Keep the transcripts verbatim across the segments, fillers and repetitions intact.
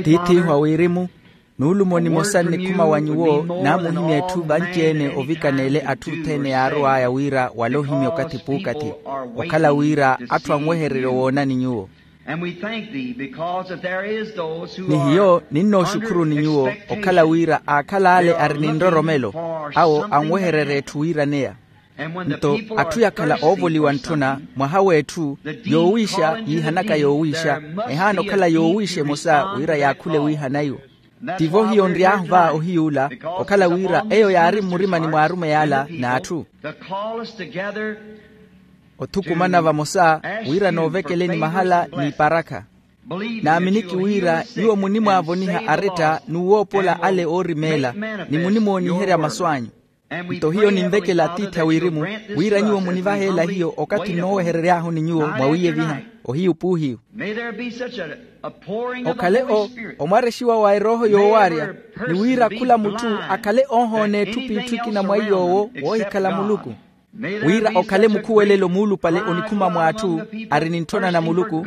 Tiith'ihu a wirimu, nuulumo nimosa nnikhuma wa nyuwo naamuhimya etthu vanci-ene ovikana ele atthu othene yaarow'aya wira wale ohimya okathi puukathi. Okhala wira atthu anwehererye woonani nyuwo. Ni hiyo ninnooxukhuruni nyuwo okhala wira aakhala ale ari ni nroromelo, awo anwehererya etthu wiiraneya. Nto atthu yakhala oovoliwa ntthuna mwaha w'etthu, yoowiixa yiihanaka yoowiixa, ehaana okhala yoowiixa emosa wira yaakhule wiihana iwo. Tivo hiyo nry'ahu va ohiyuula, okhala wira eyo yaari mmurimani mw'arumeyi ala n'atthu. Othukumana vamosa wira noovekeleni mahala n'iparakha. Naaminiki wira nyuwo munimwaavoniha aretta n'uwoopola ale oorimeela, ni munimooniherya masu anyu. Nto hiyo ninvekela atiithi a wirimu, wira nyuwo munivaheela hiyo okathi nnooweherery'ahu ni nyuwo mwawiiyeviha. Ohiyu puuhiyu. Okhale o omwarexiwa wa erooho yoowaarya, ni wira khula mutthu akhale oohoona etthu p'itthu ekina mwa iy'owo woohikhala muluku. Wira okhale mukhuwelelo muulupale onikhuma mw'atthu ari ni ntthona na muluku,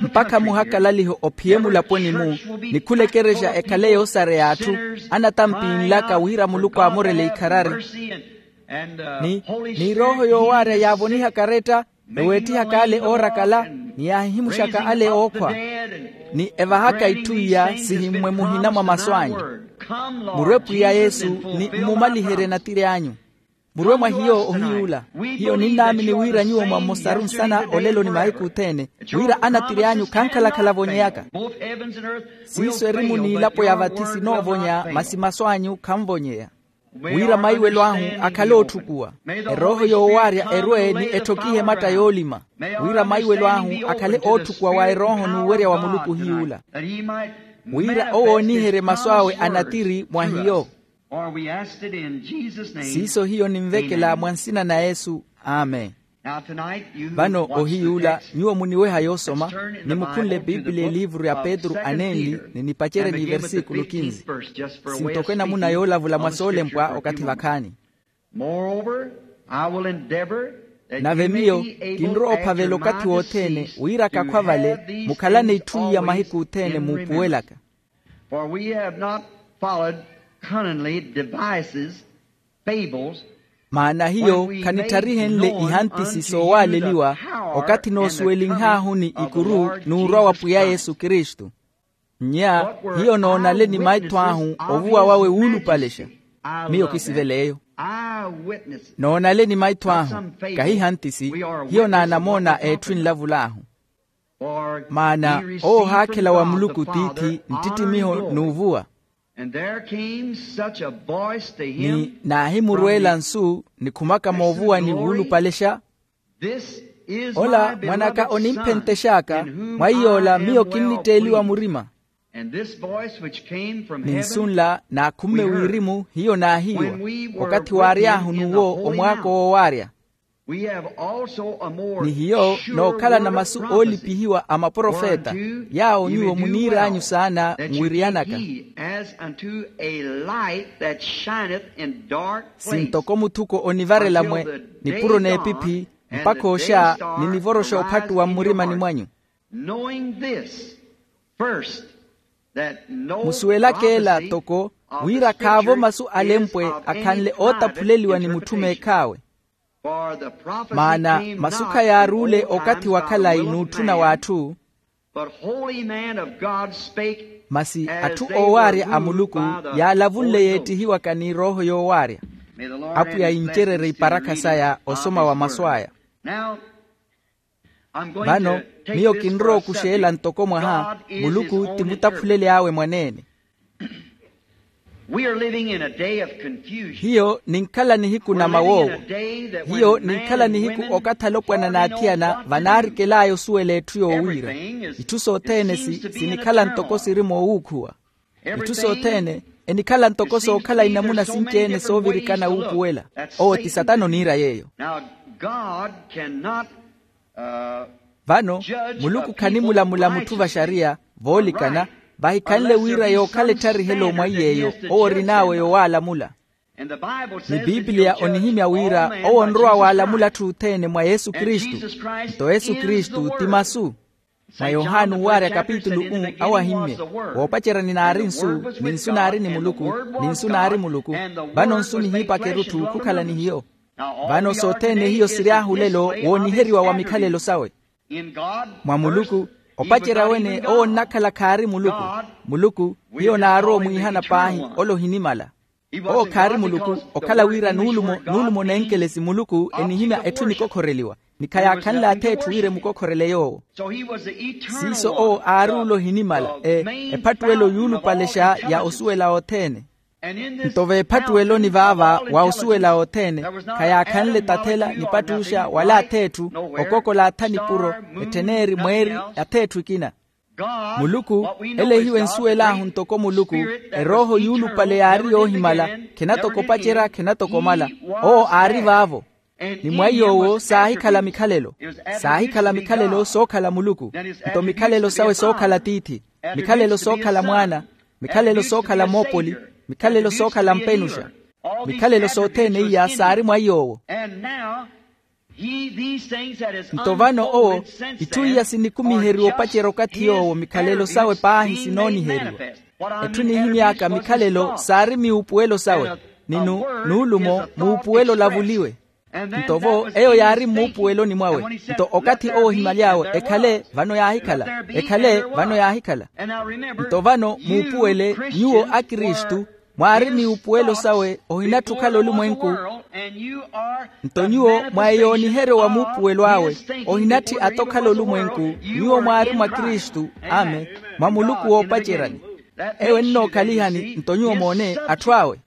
mpakha muhakalaliho ophiye mulaponi-mu, ni khula ekerexa ekhale yoosareya atthu anatampinlaka wira muluku aamorele ikharari. Ni n'irooho yoowaarya yaavonihaka aretta, eweetthihaka ale oorakala, ni yaahihimuxaka ale ookhwa, ni evahaka itthu iya sihimmwe muhina mwa masu anyu. Murwe pwiya yesu, ni mmumaliherye natiri anyu. Murwe mwa hiyo ohiyuula. Hiyo ninnaamini wira nyuwo mwa mmosaru nsana olelo ni mahiku othene, wira anatiri anyu khankhalakhala avonyeyaka. Siiso erimu n'ilapo ya vathi sinoovonya masi masu anyu khanvonyeya. Wira maiwelo ahu akhale ootthukuwa, erooho yoowaarya erwe ni etthokihe ematta yoolima. Wira maiwelo ahu akhale ootthukuwa wa erooho n'uwerya wa muluku hiyuula, wira owo ooniherye masu awe anatiri mwa hiyo. Siiso hiyo ninvekela mwa nsina na yesu. Amen. Vano ohiyuula nyuwo muniweha yoosoma, nimukhunle epiipiliya eliivuru ya petru anenli, ni nipacerye ni iversikulo kinzi. Sintoko enamuna yoolavula mwa soolempwa okathi vakhaani. Nave miyo kinrowa ophavela okathi wothene wira kakhwa vale mukhalane itthu iya mahiku othene muupuwelaka. For we have not followed cunningly devices, fables. Maana hiyo khanittharihenle ihantisi soowaaleliwa okathi noosuwelinhaahu ni ikuru n'urwa wa pwiya yesu kristu. Nnya hiyo noonale ni maitho ahu ovuwa wawe wuulupalexa. Miyo kisivela eyo. Noonale ni maitho ahu, kahi ihantisi. Hiyo naanamoona a etthu enlavul'ahu. Maana owo ohaakhela wa muluku tiithi nttittimiho n'uvuwa. Ni naahimurweela nsu nikhumaka moovuwani wuulupalexa, ola mwan'aka onimphentex'aka, mwa iy'ola miyo kinnitteeliwa murima. Ni nsu nla naakhumme wirimu hiyo naahiiwa, okathi waary'ahu n'uwo omwaako woowaarya. Ni hiyo nookhalana masu oolipihiwa a maprofeta, yaawo nyuwo muniir'anyu saana nwiriyanaka. Sintoko muthuko onivarela mwe nipuro n'epiphi, mpakha oxa ninivoroxa ophattuwa mmurimani mwanyu. Musuwelaka ela toko wira khaavo masu alempwe akhanle ootaphuleliwa ni mutthu meekh'awe. Maana masu khayaaruule okathi wa khalayi n'utthuna w'atthu, masi atthu oowaarya a muluku yaalavunle yeettihiwaka ni erooho yoowaarya. Apwiya yincererye iparakha saya osoma wa masu aya. Vano miyo kinrowa okuxeela ntoko mwaha muluku ti mutaphuleli awe mwaneene. Hiyo ninkhala nihiku na mawoowo. Hiyo ninkhala nihiku okathi alopwana n'athiyana vanaarikel'aya osuwela etthu yoowiira. Itthu sothene sinikhala ntoko siri moowuukhuwa. Itthu sothene enikhala ntoko sookhala inamuna sinci-ene soovirikana wuupuwela. Owo ti satana oniira yeeyo. Vano muluku khanimulamula mutthu vaxariya voolikana, vahikhanle wira yookhala ettharihel'owo mwa iy'eyo owo orin'awe yowaalamula. Ni pipiliya onihimya wira owo onrowa waalamula atthu othene mwa yesu kristu. Nto yesu kristu ti masu. Mwa yohani owaarya kapitulu u, awo ahimmye, woopaceryani naari nsu, ni nsu naari ni muluku, ni nsu naari muluku. Vano nsu nihiipaka erutthu khukhala ni hiyo. Vano sothene hiyo siry'ahu olelo wooniheriwa wa mikhalelo sawe. Mwa muluku, opacerya wene owo onnakhala khaari muluku. Muluku, hiyo naarowa omwiihana paahi, ole ohinimala. Owo khaari muluku, okhala wira nuulumo nuulumo nenkelesi muluku enihimya etthu enikokhoreliwa, ni khayaakhanle atheetthu wira emukokhorele yoowo. Siiso owo aari ole ohinimala ephattuwelo yuulupalexa ya osuwela othene. Nto veephattuweloni vaava wa osuwela othene, khayaakhanle tathela nipattuxa wala atheetthu, okokola atha nipuro, etthen'eri mweeri, atheetthu ekina. Muluku, ele hiyo ensuwel'ahu ntoko muluku, erooho yuulupale yaari yoohimala, khenatoko opacerya khenatoko omala. Owo aari vaavo. Ni mwa iy'owo saahikhala mikhalelo. Saahikhala mikhalelo sookhala muluku. Nto mikhalelo sawe sookhala tiithi, mikhalelo sookhala mwaana, mikhalelo sookhala moopoli, mikhalelo sookhala mpenuxa. Mikhalelo sothene iya saari mwa iy'owo. Nto vano owo, itthu iya sinikumiheriwa opacerya okathi yoowo mikhalelo sawe paahi sinooniheriwa. Etthu nihimy'aka mikhalelo saari miupuwelo sawe, ni nuulumo muupuwelo olavuliwe. Nto vo eyo yaari mmuupuweloni mwawe. Nto okathi owo ohimaly'awe ekhale vano yaahikhala, ekhale vano yaahikhala. Nto vano muupuwele, nyuwo akristu, mwaari miupuwelo sawe, ohinatthu okhala olumwenku. Nto nyuwo mwa eyooniheryo wa muupuwelo awe, ohinatthi ata okhala olumwenku. Nyuwo mwaari mwa kristu, ame, mwa muluku woopaceryani. Eyo ennookalihani nto nyuwo moone atthu awe.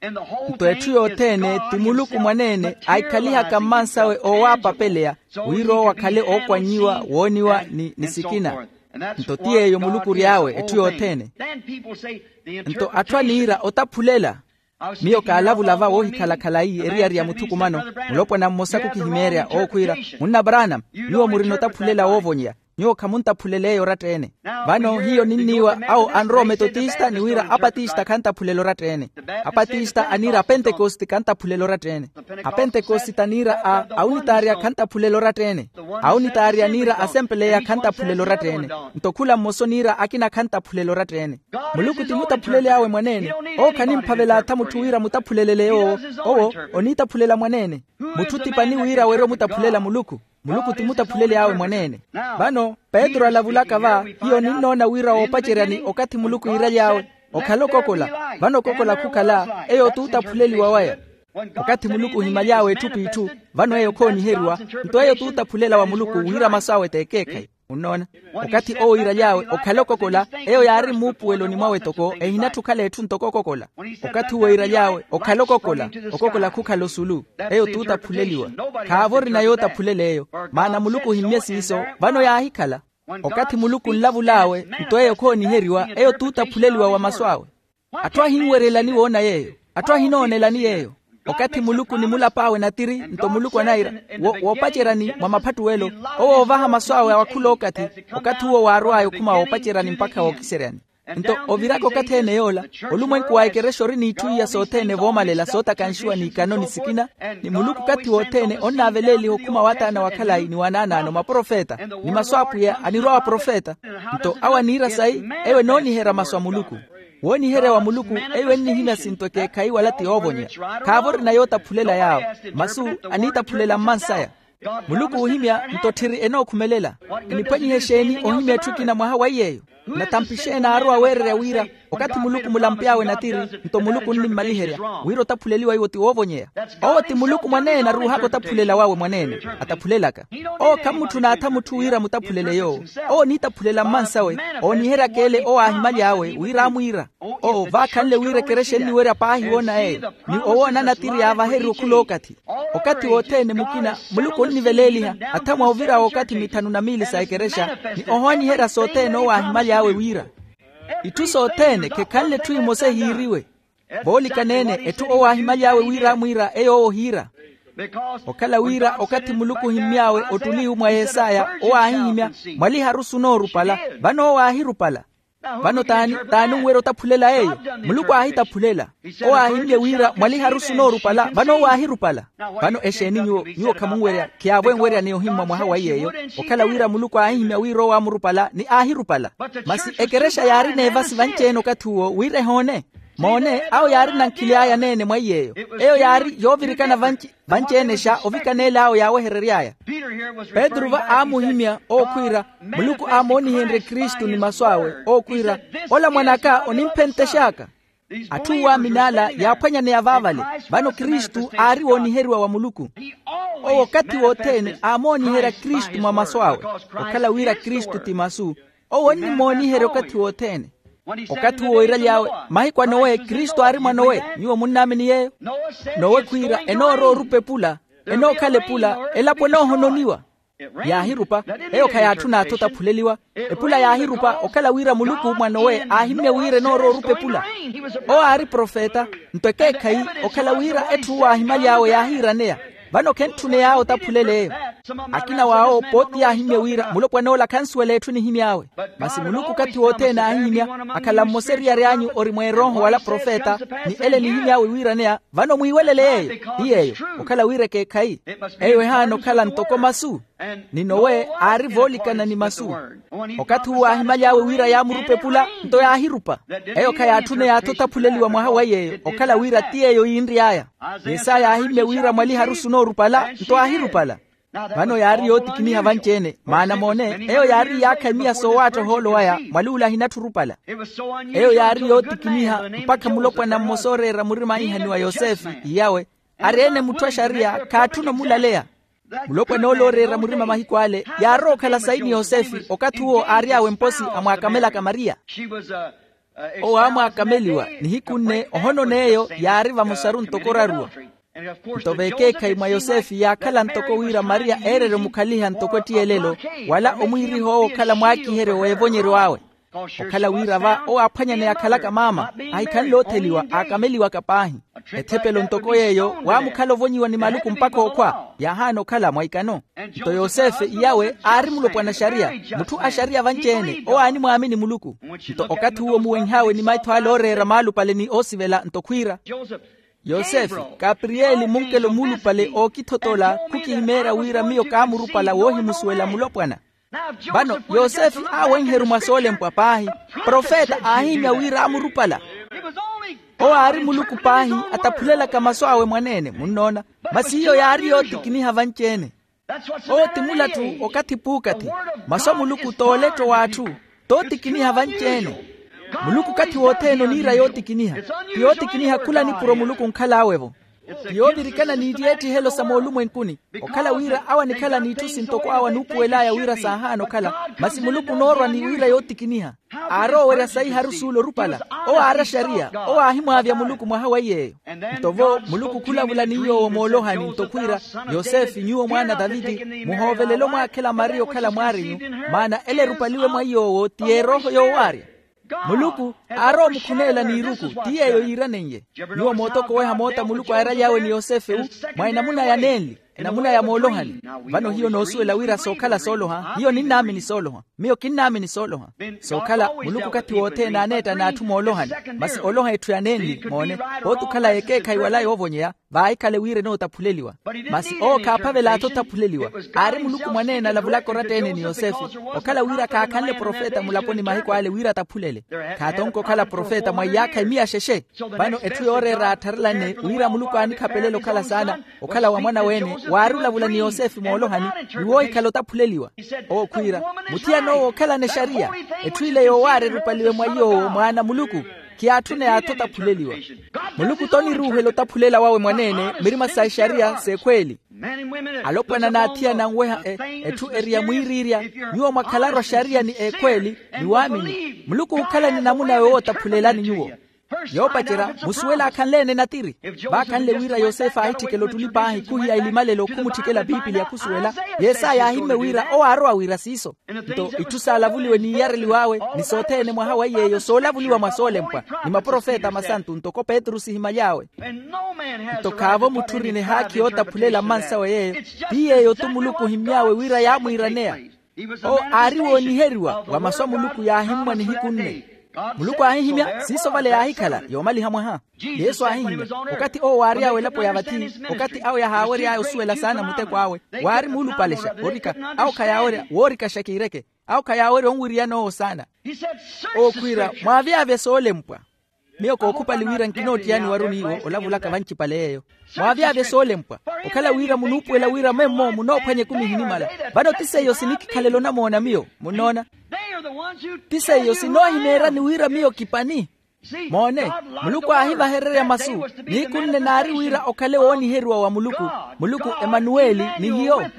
Nto etthu yothene ti muluku mwaneene aikhalihaka mmansawe oowaapapeleya, wira owo akhale ookwannyiwa wooniwa ni sikina. Nto ti yeeyo muluku ory'awe etthu yothene. Nto atthu aniira otaphulela. Miyo kaalavula va woohikhala khalayi eriyari ya muthukumano, mulopwana mmosa khukihimeerya owo khwiira, munna branam, nyuwo murina otaphulela woovonyeya. Nyuwo khamuntaphulel'eyo oratta-ene. Vano hiyo ninniiwa awo anrowa ometotista ni wira apatista khantaphulela oratta-ene. Apatista aniira apentekosti khantaphulela oratta-ene. Apentekosti aniira a aunitaarya khantaphulela oratta-ene. Aunitaarya aniira asempeleya khantaphulela oratta-ene. Nto khula mmosa oniira akina khantaphulela oratta-ene. Muluku ti mutaphuleli awe mwaneene. Owo khanimphavela atha mutthu wira mutaphulelele yoowo. Owo oniitaphulela mwaneene. Mutthu ti pani wira weri omutaphulela muluku. Muluku ti mutaphuleli awe mwaneene. Vano petru alavulaka va, hiyo ninnoona wira woopaceryani okathi muluku iiraly'awe, okhala okokola. Vano okokola khukhala eyo t'utaphuleliwa waya. Okathi muluku ohimaly'awe etthu p'itthu, vano eyo khooniheriwa. Nto eyo t'utaphulela wa muluku wira masu awe t'ekeekhayi. Munnoona? Okathi owo iiraly'awe okhala okokola, eyo yaari mmuupuweloni mwawe toko ehinatthi okhala etthu ntoko okokola. Okathi owo iiraly'awe okhala okokola, okokola khukhala osulu. Eyo t'utaphuleliwa. Khaavo orina yootaphulel'eyo. Maana muluku ohimmye siiso, vano yaahikhala. Okathi muluku onlavul'awe, nto eyo khooniheriwa eyo t'utaphuleliwa wa masu awe. Atthu ahinwerelani woona yeeyo. Atthu ahinoonelani yeeyo. Okathi muluku ni mulap'awe natiri nto muluku anayira, woopaceryani mwa maphattuwelo, owo oovaha masu awe awakhula okathi. Okathi uwo waarw'aya okhuma woopaceryani mpakha wookiseryani. Nto oviraka okathi ene yoola, olumwenku wa ekerexa ori n'itthu iya sothene voomalela sootakanxiwa n'ikano ni sikina. Ni muluku okathi wothene onnaaveleeliha okhuma w'ataana wa khalayi ni wanaanaano maprofeta, ni masu a apwiya anirwa wa profeta. Nto awo aniira sayi, eyo enooniherya masu a muluku. Wooniherya wa muluku, eyo ennihimya sinto ekeekhayi wala ti yoovonyeya. Khaavo orina yootaphulela yaawo. Masu aniitaphulela mmansaya. Muluku oohimya nto tthiri enookhumelela. Eniphwanyiha exeeni ohimya etthu ekina mwaha wa iy'eyo? Nathampi xeeni aarowa weererya wira okathi muluku mulamp'awe natiri, nto muluku onnimmaliherya wira otaphuleliwa iwo ti woovonyeya. Owo ti muluku mwaneene aruuhaka otaphulela wawe mwaneene. Ataphulelaka. Owo khammutthuna atha mutthu wira mutaphulele yoowo. Owo oniitaphulela mmansawe. Ooniheryaka ele owo aahimaly'awe wira amwiira. Owo vaakhanle wira ekerexa enniwerya paahi woona eyo, ni owoona natiri yaavaherya okhula okathi. Okathi wothene mukina muluku onniveleeliha atha mwa ovira w'okathi mithanu na miili sa ekerexa, ni ohooniherya sothene owo aahimaly'awe wira. Itthu sothene khekhanle etthu emosa ehiiriwe. Voolikaneene etthu owo aahimaly'awe wira amwiira eyo owo ohiira. Okhala wira okathi muluku ohimmy'awe ottuli iwu mwa yesaya owo aahihimya, mwaliharu sunoorupala. Vano owo aahirupala. Vano t'ani t'ani onwerya otaphulela yeeyo? Muluku aahitaphulela. Owo aahimmye wira mwaliharusu noorupala vano owo aahirupala. Vano exeeni nyuwo nyuwo khamunwerya khiyaavo enwerya ni ohimmwa mwaha wa iy'eyo okhala wira muluku aahihimya wira owo aamurupala ni aahirupala. Masi ekerexa yaari n'evasi vanci-ene okathi uwo wira ehoone. Moone awo yaari nankhili aya aneene mwa iy'eyo. Eyo yaari yoovirikana vanci-ene xa ovikaneela awo yaaweherery'aya. Petru va aamuhimya owo khwiira muluku aamoonihenrye kristu ni masu awe owo khwiira ola mwan'aka onimphentex'aka. Atthu oowaamini ala yaaphwanyaneya vaavale. Vano kristu aari wooniheriwa wa muluku. Owo okathi wothene aamooniherya kristu mwa masu awe. Okhala wira kristu ti masu owo onnimooniherya okathi wothene. Okathi uwo iiraly'awe mahiku a nowe kristu aari mwa nowe. Nyuwo munnaamini yeeyo? Nowe khwiira enoorowa orupa epula enookhala epula elapo enoohononiwa. Yaahirupa. Eyo khayaatthuna athu otaphuleliwa. Epula yaahirupa okhala wira muluku mwa nowe aahimmye wira enoorowa orupa epula. Owo aari profeta nto ekeekhayi okhala wira etthu uwo aahimaly'awe yaahiiraneya. Vano khentthuney'awe otaphulel'eyo. Akina w'awo pooti yaahimmye wira mulopwan'ola khansuwela etthu enihimy'awe. Masi muluku okathi wothene aahihimya akhala mmosa eriyari anyu ori mweerooho wala profeta ni ele enihimy'awe wiiraneya. Vano mwiiwelele yeeyo. Ti yeeyo okhala wira ekeekhayi. Eyo ehaana okhala ntoko masu. Ni nowe aari voolikana ni masu. Okathi uwo aahimaly'awe wira yaamurupa epula nto yaahirupa. Eyo khayaatthuna yaathi otaphuleliwa mwaha wa yeeyo okhala wira ti yeeyo yiinry'aya. Yesaya aahimmye wira mwaliharusu noorupala nto aahirupala. Vano yaari yootikiniha vanci-ene maana moone eyo yaari iyaakha emiya soowaatta ohoolo waya mwaluula ahinatthu orupala. Eyo yaari yootikiniha mpakha mulopwana mmosa ooreera murima aahihaniwa yosefe iyawe ari-ene mutthu a xariya khaatthuna omulaleya. Mulopwan'ole ooreera murima mahiku ale yaarowa okhala sayi ni yosefe okathi uwo aary'awe mposi amwaakamelaka mariya. Owo aamwaakameliwa nihiku nne ohonon'eyo yaari vamosaru ntoko oraruwa. Nto vekeekhayi mwa yosefe yaakhala ntoko wira mariya eererya omukhaliha ntoko ettiyelelo wala omwiiriha owo okhala mwaakiheryo w'evonyeryo awe. Okhala wira va owo aaphwanyaneya akhalaka maama ahikhanle otheliwa aakameliwaka paahi. Ethepelo ntoko yeeyo waamukhala ovonyiwa ni maluku mpakha okhwa yaahaana okhala mwa ikano. Nto yosefe iyawe aari mulopwana a xariya mutthu a xariya vanci-ene owo aanimwaamini muluku. Nto okathi uwo muwenh'awe ni maitho ale ooreera maalupale ni oosivela nto khwiira yosefe, kapriyeli munkelo muulupale ookithotola khukihimeerya wira miyo kaamurupala woohimusuwela mulopwana. Vano yosefe aawenheru mwa soolempwa paahi profeta aahihimya wira aamurupala. Owo aari muluku paahi ataphulelaka masu awe mwaneene munnoona. Masi hiyo yaari yootikiniha vanci-ene. Owo ti mulatthu okathi puukathi. Masu a muluku t'oletto w'atthu t'otikiniha vanci-ene. Muluku okathi wothene oniira yootikiniha. Ti yootikiniha khula nipuro muluku onkhal'awe-vo. Ti yoovirikana n'ittiyeetthihelo sa moolumwenkuni okhala wira awo anikhala n'itthu sintoko awo anuupuwel'aya wira saahaana okhala. Masi muluku onoorwa ni wira yootikiniha aaroowerya sayi harusuula orupala. Owo aari axariya owo aahimwaavya muluku mwaha wa iy'eyo. Nto vo muluku khulavula ni yoowo moolohani nto khwiira yosefe nyuwo mwaana a taviti muhoovelele omwaakhela mariya okhala mwaarinyu. Maana ele erupaliwe mwa yoowo ti erooho yoowaarya. Muluku aarowa omukhuneela n'iruku ti yeeyo yiiranen'ye. Nyuwo mootokoweha moota muluku aairaly'awe ni yosefe-wu mwa enamuna ya nenli enamuna ya moolohani. Vano hiyo noosuwela wira sookhala sooloha hiyo ninnaamini sooloha. Miyo kinnaamini sooloha. Sookhala muluku okathi wothene aaneetta n'atthu moolohani. Masi oloha etthu ya nenli moone pooti okhala yekeekhayi wala yoovonyeya vaahikhale wira enootaphuleliwa. Masi owo khaaphavela athi otaphuleliwa. Aari muluku mwaneene alavulaka oratta-ene ni yosefe okhala wira khaakhanle profeta mulaponi mahiku ale wira ataphulele. Khaatonke okhala profeta mwa iyaakha emiya xexe. Vano etthu yooreera attharelane wira muluku aanikhapelela okhala saana okhala wa mwana-weene waari olavula ni yosefe moolohani ni woohikhala otaphuleliwa. Owo khwiira muthiyan'owo okhalana exariya. Etthu ile yoowaara erupaliwe mwa yoowo mwaana a muluku. Khiyaatthuna yaathi otaphuleliwa. Muluku t'oniruuhela otaphulela wawe mwaneene mirima sa exariya s'ekhweeli. Alopwana n'athiyana anweha etthu eri ya mwiiriirya. Nyuwo mwakhalaru axariya ni ekhweeli ni waamini muluku ookhalani namuna yoowo otaphulelani nyuwo. Yoopacerya musuwele aakhanle-ene natiri. Vaakhanle wira yosefe aahitthikela ottuli paahi khuhiya elimalelo khumutthikela piipiliya khusuwela. Yesaya aahimmye wira owo aarowa wira siiso. Nto itthu saalavuliwe n'iyareliw'awe ni sothene mwaha wa iy'eyo soolavuliwa mwa soolempwa ni maprofeta masantu ntoko petru sihimaly'awe. Nto khaavo mutthu orina ehaakhi yootaphulela mmansawe yeeyo. Ti yeeyo-tu muluku ohimmy'awe wira yaamwiiraneya. Owo aari wooniheriwa wa masu a muluku yaahimmwa nihiku nne. Muluku aahihimya siiso vale yaahikhala yoomaliha mwaha. Yesu aahihimya, okathi owo waary'awe elapo ya vathi, okathi awo yahaawery'aya osuwela saana muteko awe, waari muulupalexa orika. Awo khayaawerya woorikaxa kiireke. Awo khayaawerya onwiriyana owo saana. Owo khwiira, mwaavyavye soolempwa. Miyo kookhupali wira nkinoottiyaani waru n'iwo olavulaka vancipale yeeyo. Mwaavyavye soolempwa, okhala wira munuupuwela wira memmo munoophwanya ekumi ehinimala. Vano ti seiyo sinikikhalela onamoona miyo munnoona. Ti seiyo sinoohimeeryani wira miyo kipani. Moone, muluku aahivahererya masu. Nihiku nne naari wira okhale wooniheriwa wa muluku. Muluku emanuweli ni hiyo.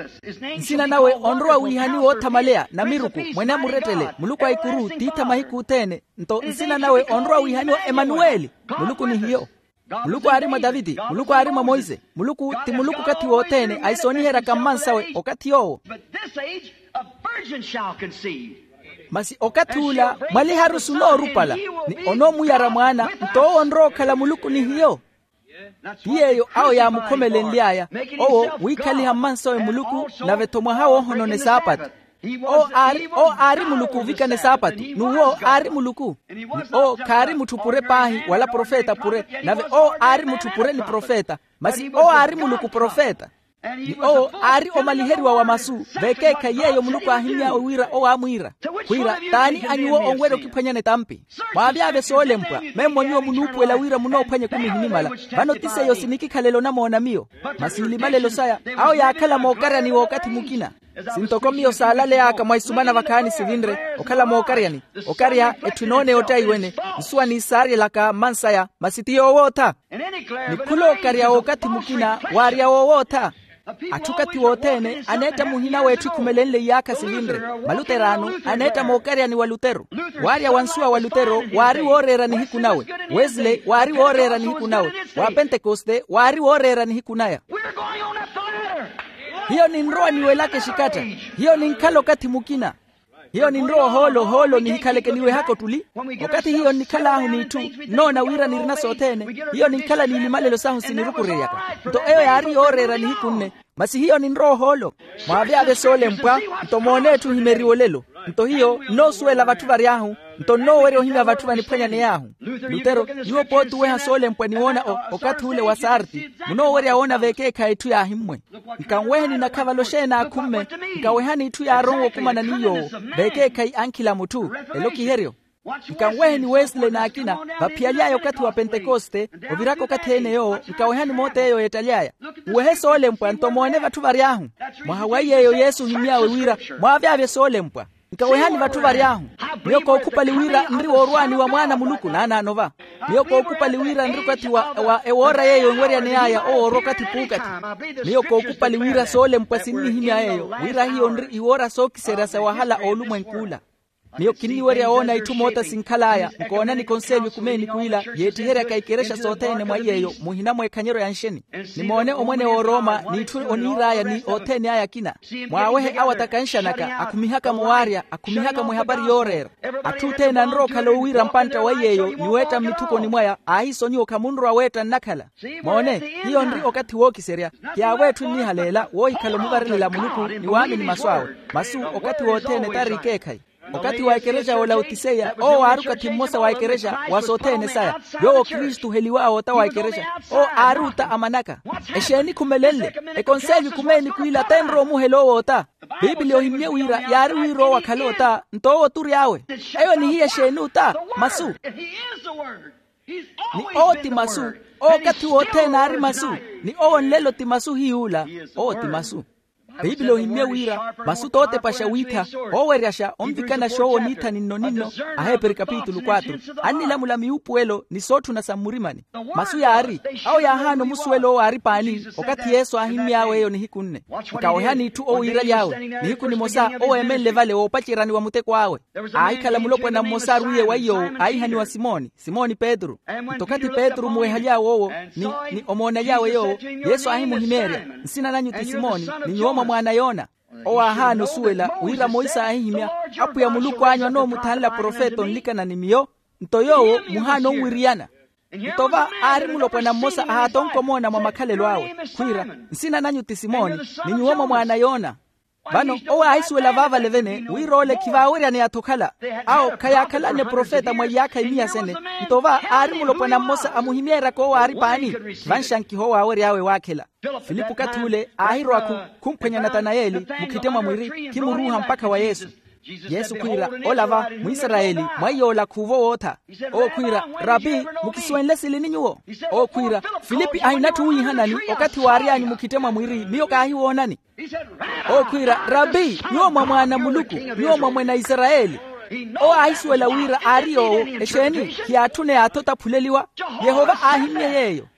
Nsina nawe onrowa wiihaniwa oothamaleya namiruku mwene amurettele muluku a ikuru tiitha mahiku othene. Nto nsina nawe onrowa wiihaniwa emanuweli. Muluku ni hiyo. Muluku aari mwa taviti, muluku aari mwa monse. Muluku ti muluku okathi wothene ahisooniheryaka mmansawe okathi yoowo. Masi okathi ula mwaliharu sunoorupala, ni onoomuyara mwaana. Nto owo onrowa okhala muluku ni hiyo. Ti yeeyo awo yaamukhomelenly'aya. Owo wiikhaliha mmansawe muluku, nave-tho mwaha woohonona esaapatu. Owo aari muluku ovikana esaapatu. N'uwo aari muluku. Ni owo khaari mutthu pure paahi wala profeta pure. Nave owo aari mutthu pure ni profeta. Masi owo aari muluku profeta. Ni owo aari omaliheriwa wa masu. Vekeekhayi yeeyo muluku aahimmy'awe wira owo aamwiira. Khwiira, t'ani a nyuwo onwerya okiphwanyana etampi? Mwaavyavye soolempwa memmo nyuwo munuupuwela wira munoophwanya ekumi ehinimala. Vano ti seiyo sinikikhalela onamoona miyo. Masi nlimalelo saya, awo yaakhala mookaryani w'okathi mukina. Sintoko miyo saalaley'aka mwa isumana vakhaani sivinre, okhala mookaryani. Okarya etthu enooneya ottaiwene. Nsuwa niisaaryelaka mmansaya masi ti yoowootha. Ni khulookarya w'okathi mukina waarya woowootha. Atthu okathi wothene aneetta muhina w'etthu ekhumelenle iyaakha sivinre. Maluteraano aneetta mookaryani wa lutero. Waarya wa nsuwa wa lutero waari wooreera nihiku nawe. Wesley waari wooreera nihiku nawe. Wa pentekoste waari wooreera nihiku naya. Hiyo ninrowa niwelaka exikatta. Hiyo ninkhala okathi mukina. Hiyo ninrowa ohoolo ohoolo nihikhaleke niwehaka ottuli. Okathi hiyo nnikhal'ahu n'itthu, nnoona wira nirina sothene. Hiyo ninkhala n'ilimalelo sahu sinirukureryaka. Nto eyo yaari yooreera nihiku nne. Masi hiyo ninrowa ohoolo. Mwaavyavye soolempwa. Nto moone etthu ohimeriwa olelo. Nto hiyo nnoosuwela vatthu vary'ahu. Nto nnoowerya ohimya vatthu vaniphwanyaney'ahu. Lutero, nyuwo pooti oweha soolempwa ni woona okathi ule wa sarti. Munoowerya woona vekeekhayi etthu yaahimmwe. Nkanweheni nakhavalo xeeni aakhumme. Nkawehani itthu yaaronwe okumana ni yoowo. Vekeekhayi ankhila a mutthu. Elo kiheryo. Nkanweheni wesley n'akina. Vaphiyaly'aya okathi wa pentekoste, oviraka okathi-ene yoowo nkawehani moota eyo yeettaly'aya. Nwehe soolempwa nto moone vatthu vary'ahu. Mwaha wa iy'eyo yesu ohimmy'awe wira, mwaavyavye soolempwa. Nkawehani vatthu vary'ahu. Miyo kookhupali wira nri woorwaani wa mwaana a muluku naanaano va. Miyo kookhupali wira nri okathi wa ewoora yeeyo enweryaney'aya owoora okathi puukathi. Miyo kookhupali wira soolempwa sinnihimya yeeyo wira hiyo nri iwoora sookiserya sa wahala a olumwenk'ula. Miyo kinniwerya woona itthu moota sinkhal'aya nkoonani konselyo ekumeeni kwila yeettiheryaka ikerexa sothene mwa iy'eyo muhina mw'ekhanyeryo ya nxeni. Nimoone omwene w'oroma n'itthu oniir'aya ni othene aya akina. Mwaawehe awo atakanxanaka akhumihaka-mo waarya akhumihaka-mo ehapari yooreera. Atthu othene anrowa okhala owiira mpantta wa iy'eyo ni weetta mmitthukoni mwaya aahisonyiwa okhamunrowa weetta nnakhala. Moone, hiyo nri okathi wookiserya. Kiyaawetthu nnihaleela woohikhala omuvarelela muluku ni waamini masu awe. Masu okathi wothene tari ikeekhayi. Okathi wa ekerexa ya olautiseya owo aari okathi mmosa wa ekerexa wa sothene saya. Yoowo kristu oheliw'awe ota wa ekerexa. Owo aari ota a manaka. Exeeni khumelenle? Ekonselyo ekumeeni kwila tenrowa omuhela owo ota. Piipili ohimmye wira yaari wira owo akhale ota. Nto owo tury'awe. Eyo nihiya exeeni ota? Masu. Ni owo ti masu. Owo okathi wothene aari masu. Ni owo nlelo ti masu hiy'ula. Owo ti masu. Piipili ohimmye wira masu t'otepaxa wiitha, ooweryaxa onvikana xoowo niitha ninno-ninno. Aheperi kapitulu quatro. Annilamula miwuupuwelo ni sootthuna sa mmurimani. Masu yaari. Awo yaahaana omusuwela owo aari paani okathi yesu aahimmy'awe eyo nihiku nne. Nkawehani itthu owo iiraly'awe nihiku nimosa owo eemenle vale woopaceryani wa muteko awe. Aahikhala mulopwana mmosa arwiiye wa iy'owo aahihaniwa simoni. Simoni petru. Nto okathi petru omuwehaly'awe owo ni omoonaly'awe yoowo, yesu aahimuhimeerya, nsina nanyu ti simoni ni nyuwo mwa mwaana a yoona. Owo aahaana osuwela wira monse aahihimya, apwiya muluku anyu anoomuthanla profeta onlikana ni miyo. Nto yoowo muhaana onwiriyana. Nto va aari mulopwana mmosa ahaatonka omoona mwa makhalelo awe khwiira, nsina nanyu ti simoni ni nyuwo mwa mwaana a yoona. Vano owo aahisuwela vaavale-vene wira ole khivaaweryaneya-tho okhala. Awo khayaakhalanne profeta mwa iyaakha imiya sene. Nto va aari mulopwana mmosa amuhimeeryaka owo aari paani. Vanxankiha owo aawery'awe waakhela. Filipu okathi ule aahirowakhu khumphwenya natanayeli mukhite mwa mwiri khimuruuha mpakha wa yesu. Yesu khwiira, ola va mwisarayeli mwaiy'ola khuuvo wootha. Owo khwiira, rapi, mukisuwenle silini nyuwo? Owo khwiira, filipi ahinatthu wiihanani okathi waary'anyu mukhite mwa mwiri miyo kaahiwoonani. Owo khwiira, rapi, nyuwo mwa mwaana a muluku, nyuwo mwa mwene a isarayeli. Owo aahisuwela wira aari yoowo. Exeeni? Khiyaatthuney'atho otaphuleliwa. Yehova aahimmye yeeyo.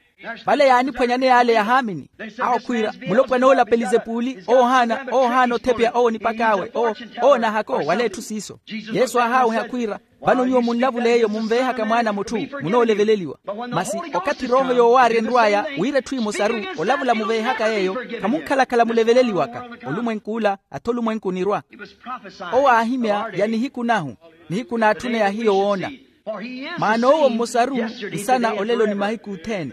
Vale yaaniphwanyaneya ale ya haamini. Awo khwiira, mulopwana ola pelizepuli owo ohaana owo ohaana othepeya owo nipak'awe owo. Owo nahako wala etthu siiso. Yesu aahaaweha khwiira, vano nyuwo munlavule eyo munveehaka mwaana a mutthu, munooleveleliwa. Masi okathi erooho yoowaarya enrw'aya wira etthu emosaru, olavula muveehaka yeeyo, khamunkhalakhala muleveleliwaka. Olumwenku ola atha olumwenku onirwa. Owo aahimya ya nihiku nahu, nihiku naatthuneya hiyo woona. Maana owo mmosaru nsana olelo ni mahiku othene.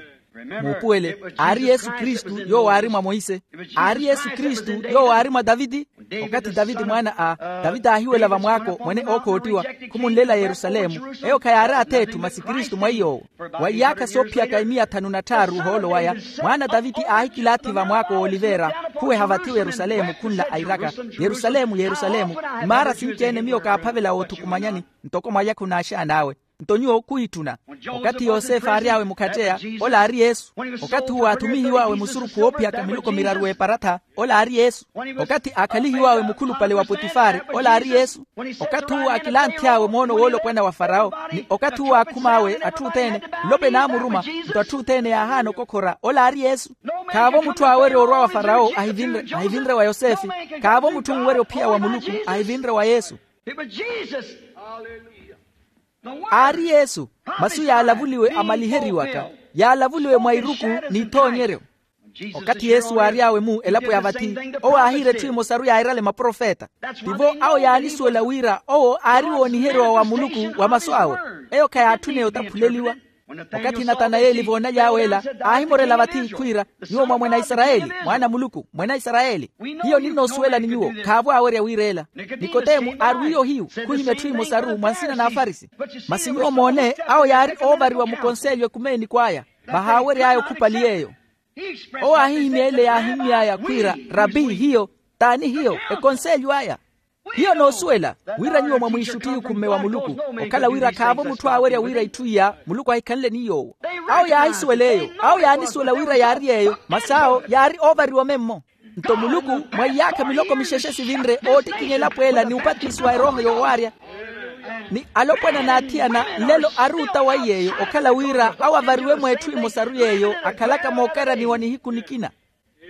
Muupuwele, aari yesu kristu yoowo aari mwa monse. Aari yesu kristu yoowo aari mwa taviti. Okathi taviti mwaana a taviti aahiwela vamwaako mwene ookoottiwa, khumunlela yerusalemu. Eyo khayaari ath'etthu masi kristu mwa iy'owo. Wa iyaakha soophiyaka imiya thanu na tthaaru ohoolo waya, mwaana a taviti aahikilaathi vamwaako w'olivera, khuweha vathi werusalemu khunla airaka, yerusalemu yerusalemu, imaara sinci-ene miyo kaaphavela woothukumanyani, ntoko mwalya khunaaxaan'awe. Nto nyuwo khuwitthuna. Okathi yosefe aary'awe mukhatteya, ola aari yesu. Okathi uwo aathumihiw'awe musurukhu woophiyaka miloko miraru w'eparatha, ola aari yesu. Okathi aakhalihiw'awe mukhulupale wa potifari, ola aari yesu. Okathi uwo akilanthy'awe moono woolopwana wa farawo, ni okathi uwo aakhum'awe atthu othene, nlope naamuruma, nto atthu othene yaahaana okokhora, ola aari yesu. Khaavo mutthu aawerya orwa wa farawo ahivinre ahivinre wa yosefe. Khaavo mutthu onwerya ophiya wa muluku ahivinre wa yesu. Aari yesu. Masu yaalavuliwe amaliheriwaka, yaalavuliwe mwa iruku n'ithoonyeryo. Okathi yesu aary'awe-mu elapo ya vathi, owo aahiira etthu emosaru yairale maprofeta. Tivo awo yaanisuwela wira owo aari wooniheriwa wa muluku wa masu awe. Eyo khayaatthuneye otaphuleliwa. Okathi natanayeli voonaly'awe ela, aahimorela vathi khwiira, nyuwo mwa mwene a isarayeli, mwaana a muluku mwene a isarayeli. Hiyo ninnoosuwelani nyuwo khaavo aawerya wiireela. Nikodemu aarwiye ohiyu, khuhimya etthu emosaru mwa nsina n'afarisi. Masi nyuwo moone, awo yaari oovariwa mukonselyo ekumeeniku aya, vahaawery'aya okhupali yeeyo. Owo aahihimya ele yaahimmy'aya khwiira, rapi hiyo, t'ani hiyo? Ekonselyo aya. Hiyo noosuwela wira nyuwo mwamwiixuttiye okhumme wa muluku, okhala wira khaavo mutthu aawerya wira itthu iya muluku ahikhanle ni yoowo. Awo yaahisuwela eyo. Awo yaanisuwela wira yaari yeeyo masi awo yaari oovariwa memmo. Nto muluku, mwa iyaakha miloko mixexe sivinre oottikinya elapo ela ni upatisiwa erooho yoowaarya. Ni alopwana n'athiyana nlelo ari ota wa iy'eyo okhala wira awo avariwe mwa etthu emosaru y'eyo akhalaka mookaraniwa nihiku nikina.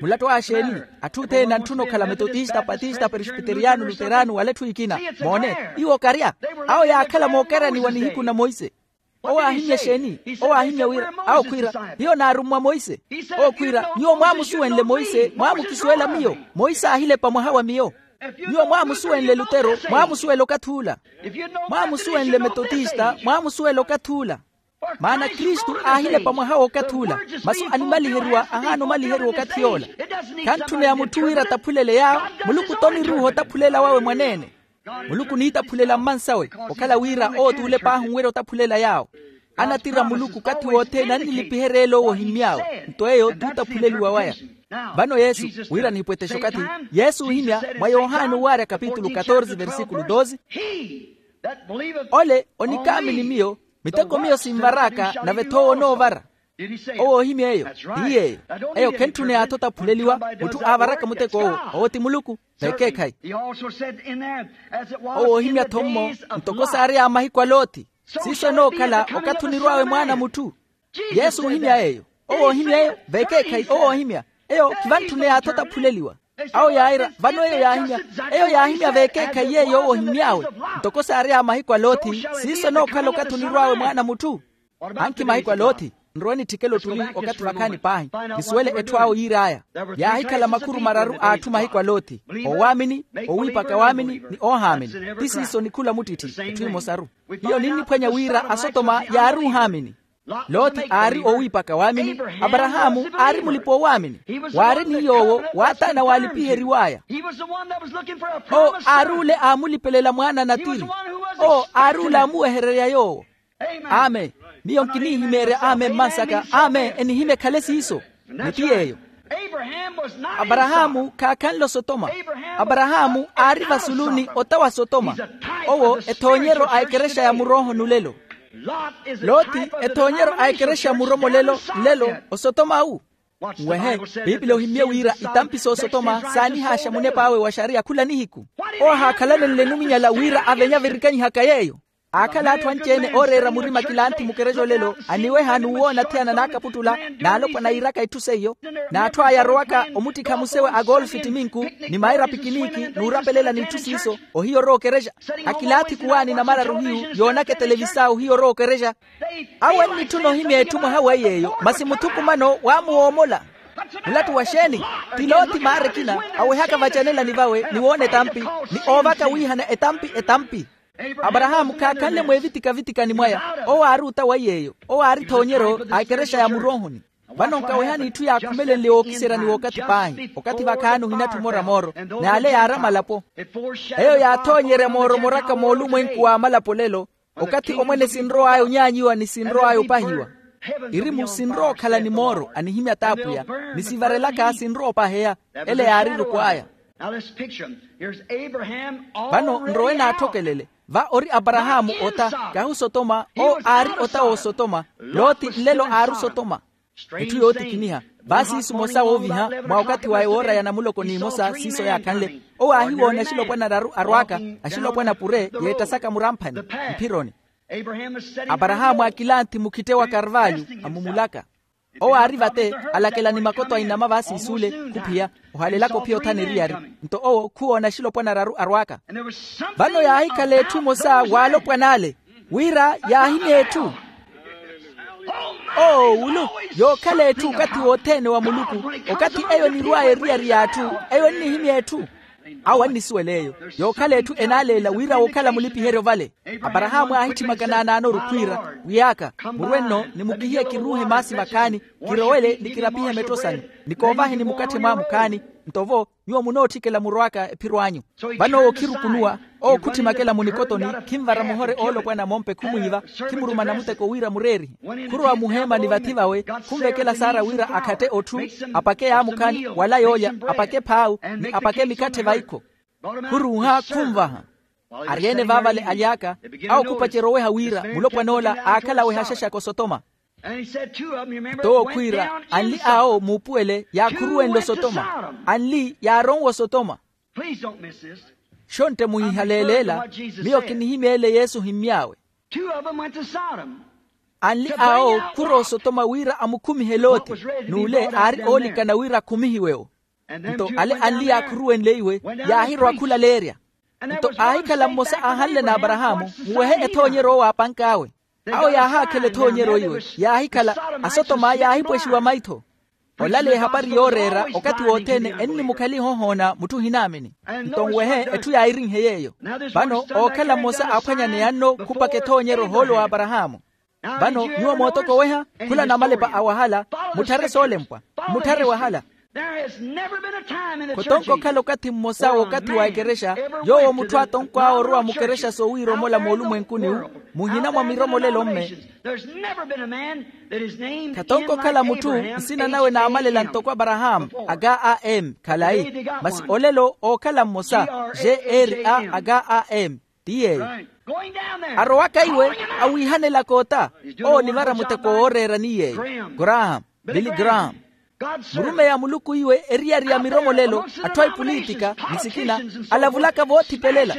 Mulattu axeeni? Atthu othene antthuna okhala metotista patista presbiteriyano luterano wala etthu ekina. Moone, iwo okarya. Awo yaakhala mookaraniwa nihiku na monse. Owo aahimya exeeni? Owo aahimya wira awo khwiira, hiyo naarummwa monse. Owo khwiira, nyuwo mwaamusuwenle monse mwaamukisuwela miyo. Monse aahilepa mwaha wa miyo. Nyuwo mwaamusuwenle lutero mwaamusuwela okathi ula. Mwaamusuwenle metotista mwaamusuwela okathi ula. Maana kristu aahilepa mwaha w'okathi ula. Masu animaliheriwa ahaana omaliheriwa okathi yoola. Khantthuneya mutthu wira ataphulele yaawo. Muluku t'oniruuha otaphulela wawe mwaneene. Muluku oniitaphulela mmansawe. Okhala wira owo t'ulep'ahu onwerya otaphulela yaawo. Anatira muluku okathi wothene annilipiherya ele owo ohimmy'awe. Nto eyo t'utaphuleliwa waya. Vano yesu, wira nihipwetexe okathi, yesu oohimya mwa yohane owaarya kapitulu katorze versikulu doze. Ole onikaamini miyo, miteko miyo sinvar'aka nave-tho owo onoovara. Owo oohimya eyo. Ti yeeyo. Eyo khentthuney'atho otaphuleliwa. Mutthu aavaraka muteko owo, owo ti muluku. Vekeekhayi. Owo oohimya-tho mmo, ntoko saary'aya mahiku a loti. Siiso enookhala okathi onirw'awe mwaana a mutthu. Yesu oohimya eyo. Owo oohimya eyo. Vekeekhayi owo oohimya. Eyo khivantthuney'atho otaphuleliwa. Awo yaayira vano eyo yaahimya. Eyo yaahimya vekeekhayi yeeyo owo ohimmy'awe. Ntoko saary'aya mahiku a loti, siiso enookhala okathi onirw'awe mwaana a mutthu. Ankhi mahiku a loti, nrowe nitthikele ottuli okathi vakhaani paahi, nisuwele etthu awo yiir'aya. Yaahikhala makhuru mararu a atthu mahiku a loti, owaamini, owiipaka waamini ni oohaamini. Ti siiso ni khula muttitti. Etthu emosaru. Hiyo ninniphwanya wira asotoma yaari ohaamini. Loti aari owiipaka waamini. Aparahaamu aari mulipa-oowaamini. Waari ni yoowo waataana waalipiheriw'aya. Owo aari ole aamulipelela mwaana natiri. Owo aari ole aamuwehererya yoowo. Amen. Miyo nkinihimeerya amen mmansaka amen enihimya ekhale siiso. Ni ti yeeyo. Aparahaamu khaakhanle osotoma. Aparahaamu aari vasuluni ota wa sotoma. Owo ethoonyeryo a ekerexa ya murooho nulelo. Loti ethoonyeryo a ekerexa ya muromolelo nlelo. Osotoma awu nwehe. Piipili ohimmye wira itampi s'osotoma saanihaaxa munep'awe wa xariya khula nihiku. Owo ahaakhalanenle numinyala wira avenye avirikanyihaka yeeyo. Aakhala atthu anci-ene ooreera murima kilanthi mukerexa olelo aniweha n'uwoona athiyana n'akaputtula n'alopwana yiiraka itthu seiyo. N'atthu aya arowaka omuttikha musewe a golfi ttiminku ni maira pikiniki n'urapelela n'itthu siiso ohiya orowa okerexa. Akilaathi kuwaani namararu hiyu yoonaka etelevisao ohiya orowa okerexa. Awo annitthuna ohimya etthu mwaha wa yeeyo masi muthukumano waamuwoomola. Mulattu wa xeeni? Ti loti maara ekina awehaka vacanelani vawe ni woona etampi ni oovaka wiihana etampi etampi. Aparahaamu khaakhanle mweevitika-vitikani mwaya. Owo aari ota wa yeeyo. Owo aari ethoonyeryo a ekerexa ya muroohoni. Vano nkawehani itthu yaakhumelenle wookiserya ni wookathi paahi okathi vakhaani ohinatthi omora mooro. N'ale yaari amalapo. Eyo yaathoonyerya mooromoraka moolumwenku w'amalapo olelo. Okathi omwene sinrow'aya onyaanyiwa ni sinrow'aya opahiwa. Irimu sinrowa okhala ni mooro anihimya t'apwiya ni sivarelaka sinrowa opaheya. Ele yaari eruku aya. Vano nrowe naathokelele. Va ori aparahaamu ota kahi osotoma. Owo aari ota w'osotoma. Loti nlelo aari osotoma. Etthu yootikiniha. Vaasiisu mosa wooviha mwa okathi wa ewoora ya namuloko n'imosa siiso yaakhanle. Owo aahiwoona axilopwana araru arwaaka axilopwana pure yeettasaka muramphani mphironi. Aparahaamu aakilanthi mukhitte wa karvalyu amumulaka. Owo aari vate alakela ni makoto a inama vaasiisule khuphiya ohalelaka ophiya othana eriyari. Nto owo khuwoona axilopwana araru arwaaka. Vano yaahikhala etthu emosa w'alopwana ale wira yaahimya etthu. Oo wulu yookhala etthu okathi wothene wa muluku. Okathi eyo enirw'aya eriyari y'atthu eyo ennihimya etthu. Awo annisuwela eyo yookhala etthu enaaleela wira wookhala mulipiheryo vale. Aparahaamu aahitthimaka naanaanoru khwiira wiy'aka murwe nno ni mukihiye kiruuhe maasi vakhaani kirowele ni kirapihe metto sanu ni koovaheni mukatthe mwaamu khaani. Nto vo nyuwo munootthikela murw'aka ephiro anyu. Vano owo khirukunuwa owo khuttimakela munikotoni. Khinvara muhore oolopwana mompe khumwiiva khimuruma namuteko wira mureerihe khurowa muheemani vathi vawe khunvekela saara wira akhatte otthu apake yaamukhaani wala yoolya apake phaawu ni apake mikatthe vaikho. Khuruuha khunvaha. Ari-ene vaavale aly'aka awo khupacerya oweha wira mulopwan'ola aakhala aweha axaxaka osotoma. Nto owo khwiira anli awo muupuwele yaakhuruwenle osotoma. Anli yaaronwa osotoma. Xontte muhihaleeleela. Miyo kinihimya ele yesu ohimmy'awe. Anli awo khurowa osotoma wira amukhumihe loti n'ule aari oolikana wira akhumihiwe-wo. Nto ale anli yaakhuruwenle iwe yaahirowa khulaleerya. Nto aahikhala mmosa aahanle n'aparahaamu muwehe ethoonyeryo owo aapank'awe. Awo yaahaakhela ethoonyeryo iwe yaahikhala asotoma yaahipwexiwa maitho. Olaleya ehapari yooreera okathi wothene ennimukhaliha ohoona mutthu ohinaamini. Nto nwehe etthu yaahirinhe yeeyo. Vano ookhala mmosa aaphwanyaneya nno khupaka ethoonyeryo ohoolo w'aparahaamu. Vano nyuwo mootokoweha khula namalepa a wahala. Mutthare soolempwa. Mutthare wahala. Khotonko okhala okathi mmosa w'okathi wa ekerexa yoowo mutthu aatonkw'awe orowa mukerexa soowiiromola moolumwenkuni-wu muhina mwa miromolelo-mme. Khatonko okhala mutthu nsina nawe naamalela ntoko aparahaamu aga a m khalayi. Masi olelo ookhala mmosa g r a aga a m. Ti yeeyo arowaka iwe awiihanelaka ota. Owo onivara muteko wooreera ni yeeyo graham billy graham. Murumeyi a muluku iwe eriyari ya miromolelo atthu a ipulitika ni sikina alavulaka voothipelela.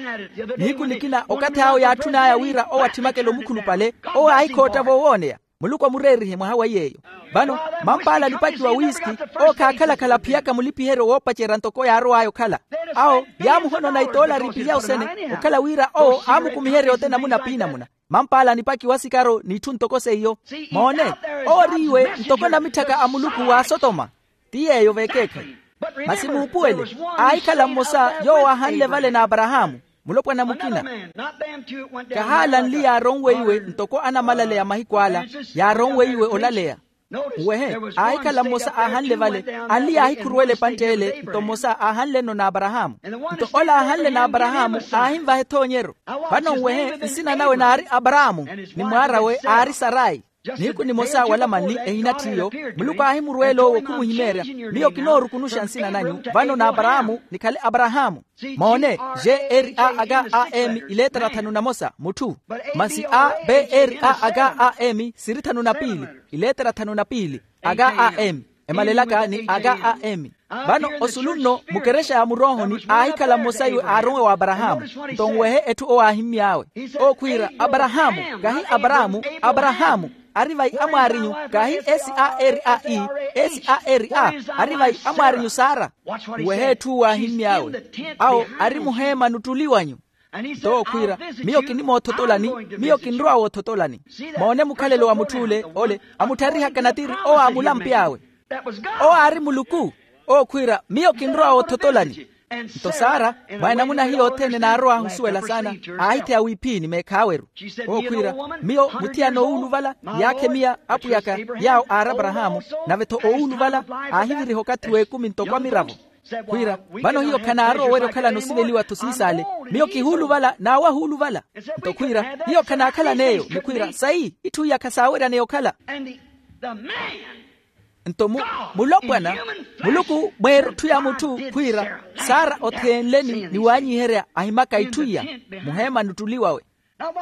Nihiku nikina okathi awo yaatthun'aya wira owo atthimakele omukhulupale owo aahikhootta voowooneya. Muluku amureerihe mwaha wa yeeyo. Vano mampaala alipaki wa wiski owo khaakhala-khala aphiyaka mulipiheryo woopacerya ntoko yaarow'aya okhala. Awo yaamuhonona itoolari ipilya osene okhala wira owo aamukumiherya ote namuna p'inamuna. Mampaala anipaki wa sikaro n'itthu ntoko seiyo. Moone owo ori iwe ntoko namitthaka a muluku w'asotoma. Ti yeeyo veekeekhayi. Masi muupuwele aahikhala mmosa yoowo aahanle vale n'aparahaamu. Mulopwana mukina. Kahaalanli yaaronweiwe ntoko anamalaleya mahiku ala, yaaronweiwe olaleya. Nwehe, aahikhala mmosa aahanle vale. Anli yaahikhuruwela epantte ele nto mmosa aahanle-no n'aparahaamu. Nto ola aahanle n'aparahaamu aahinvaha ethoonyeryo. Vano nwehe, nsina nawe naari aparahaamu, ni mwaar'awe aari sarayi. Nihiku nimosa wala manli ehina ttiyo, muluku aahimurweela owo khumuhimeerya. Miyo kinoorukunuxa nsina nanyu vano n'aparahaamu, nikhale aparahaamu. Moone, g-r-a-h-a-m, ileetera thanu na mosa mutthu. Masi a b-r-a-h-a-m siri thanu na piili, ileetera thanu na piili. H-a-m emalelaka ni h-a-m. Vano osulu nno mukerexa ya muroohoni aahikhala mmosa iwe aaronwe w'aparahaamu. Nto nwehe etthu owo aahimmy'awe, ookhwiira, aparahaamu, kahi aparaamu, aparahaamu. Ari vai amwaarinyu? Kahi s-a-r-a-e, s-a-r-a. Ari vai amwaarinyu sara? Nwehe etthu owo aahimmy'awe, awo ari muheema nuttuliwanyu. Nto ookhwiira, miyo kinimoothotolani, miyo kinrowa woothotolani. Moone mukhalelo wa mutth'ule ole, amutharihaka natiri owo aamulampe awe. Owo aari muluku. Ookhwiira, miyo kinrowa woothotolani. Nto sara, mwa enamuna hiyo othene naarowa ahusuwela saana, aahitheya wiiphiini meekhaaweru. Ookhwiira, miyo muthiyana owuuluvala, yaakhe miya apwiyaka, yaawo aari aparahaamu, nave-tho owuuluvala aahiviriha okathi w'ekumi ntoko amiravo. Khwiira, vano hiyo khanaarowa owerya okhalana osiveliwa-tho siisaale. Miyo kihuuluvala n'awo ahuuluvala. Nto khwiira, hiyo khanaakhalan'eyo ni khwiira sayi itthu iya khasaaweryaneya okhala. Nto mu, mulopwana, muluku mweerutthu ya mutthu khwiira, sara otheenleni ni waanyiherya ahimaka itthu iya, muheema nuttuliwawe.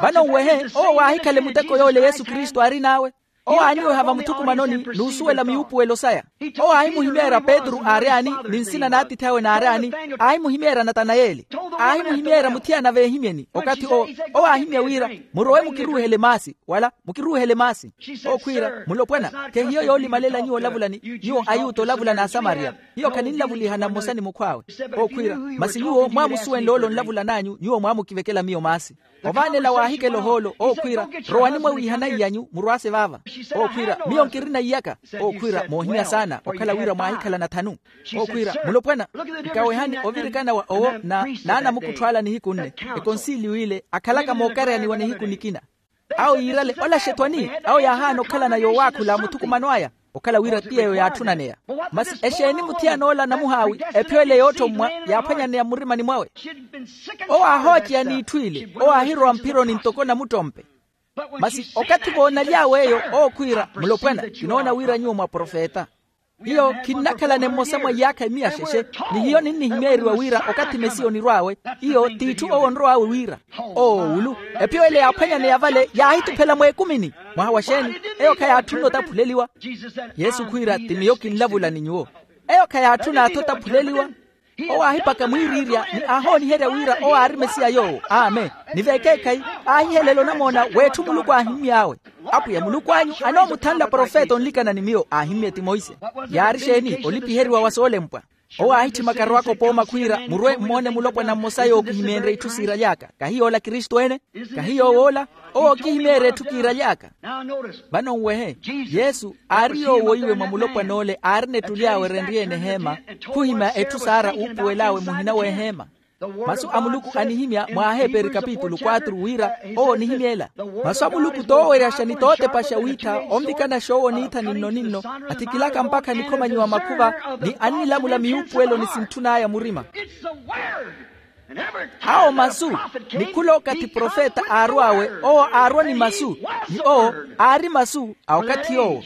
Vano nwehe, owo waahikhale muteko yoole yesu kristu aarin'awe. Owo aanyoweha vamuthukumanoni n'usuwela miyuupuwelo saya. Owo aahimuhimeerya petru aaryaani, ni nsina n'atiithi awe naaryaani. Aahimuhimeerya natanayeli. Aahimuhimeerya muthiyana veehimyeni okathi owo. Owo aahimya wira, murowe mukiruuhele maasi wala mukiruuhele maasi. Ookhwiira, mulopwana, khehiyo yoolimalela nyuwo olavula ni, nyuwo ayuta olavula n'asamariya. Hiyo khaninlavulihana mmosa ni mukhw'awe. Ookhwiira, masi nyuwo mwaamusuwenle ole onlavulan'anyu nyuwo mwaamukivekela miyo maasi. Ovaanela waahikela ohoolo ookhwiira, rowani mwawiihana iy'anyu murwaase vaava. Ookhwiira, miyo nkirina iyaka. Ookhwiira moohimya saana okhala wira mwaahikhala nathanu. Ookhwiira, mulopwana, nkawehani ovirikana wa owo na naanamukuttho ala nihiku nne, ekonsiliyo ile akhalaka mookareyaniwa nihiku nikina. Awo yiirale olaxetwani, awo yaahaana okhalana yoowaakhula muthukumano aya, okhala wira ti yeeyo yaatthunaneya. Masi exeeni muthiyana ola namuhaawi? Ephiyo ele yoottommwa yaaphwanyaneya mmurimani mwawe. Owo aahooceya n'itthu ile, owo aahirowa mphironi ntoko namuttompe. Masi okathi voonaly'awe eyo, ookhwiira, mulopwana, kinoona wira nyuwo mwaprofeta. Hiyo khinnakhalane mmosa mwa iyaakha emiya xexe, ni hiyo ninnihimeeriwa wira okathi mesiya onirw'awe. Iyo t'itthu owo onrow'awe wira. Oowulu, ephiyo ele yaaphwanyaneya vale yaahituphela mweekumini. Mwaha wa xeeni? Eyo khayaatthunne otaphuleliwa. Yesu khwiira ti miyo kinlavula ni nyuwo. Eyo khayaatthun'atthu otaphuleliwa. Owo aahipaka mwiiriirya ni aahooniherya wira owo aari mesiya yoowo. Amen. Ni vekeekhayi, aahihelela onamoona w'etthu muluku aahimmy'awe. Apwiya muluku anyu anoomuthanla profeta onlikana ni miyo aahimmye ti monse. Yaari xeeni? Olipiheriwa wa soolempwa. Owo aahitthimaka arowaka opooma khwiira murwe mmoone mulopwana mmosa yookihimeerya itthu siiraly'aka. Kahi yoola kristu ene? Kahi yoow'ola? Owo ookihimeerya etthu kiiraly'aka. Vano nwehe, yesu aari yoowoiwe mwa mulopwana ole aarina etthu ly'awe erenry'ene eheema. Khuhimya etthu saara uupuwel'awe muhina w'eheema. Masu a muluku anihimya mwa aheeperi kapitulu quatru wira, owo onihimya ela. Masu a muluku tooweryaxa ni tootepaxa wiitha onvikanaxa owo niitha ninno-ninno, athikilaka mpakha nikhomanyiwa makhuva, ni annilamula miyuupuwelo ni sintthun'aya murima. Awo masu, ni khula okathi profeta aarw'awe, owo aarwa ni masu, ni owo aari masu a okathi yoowo.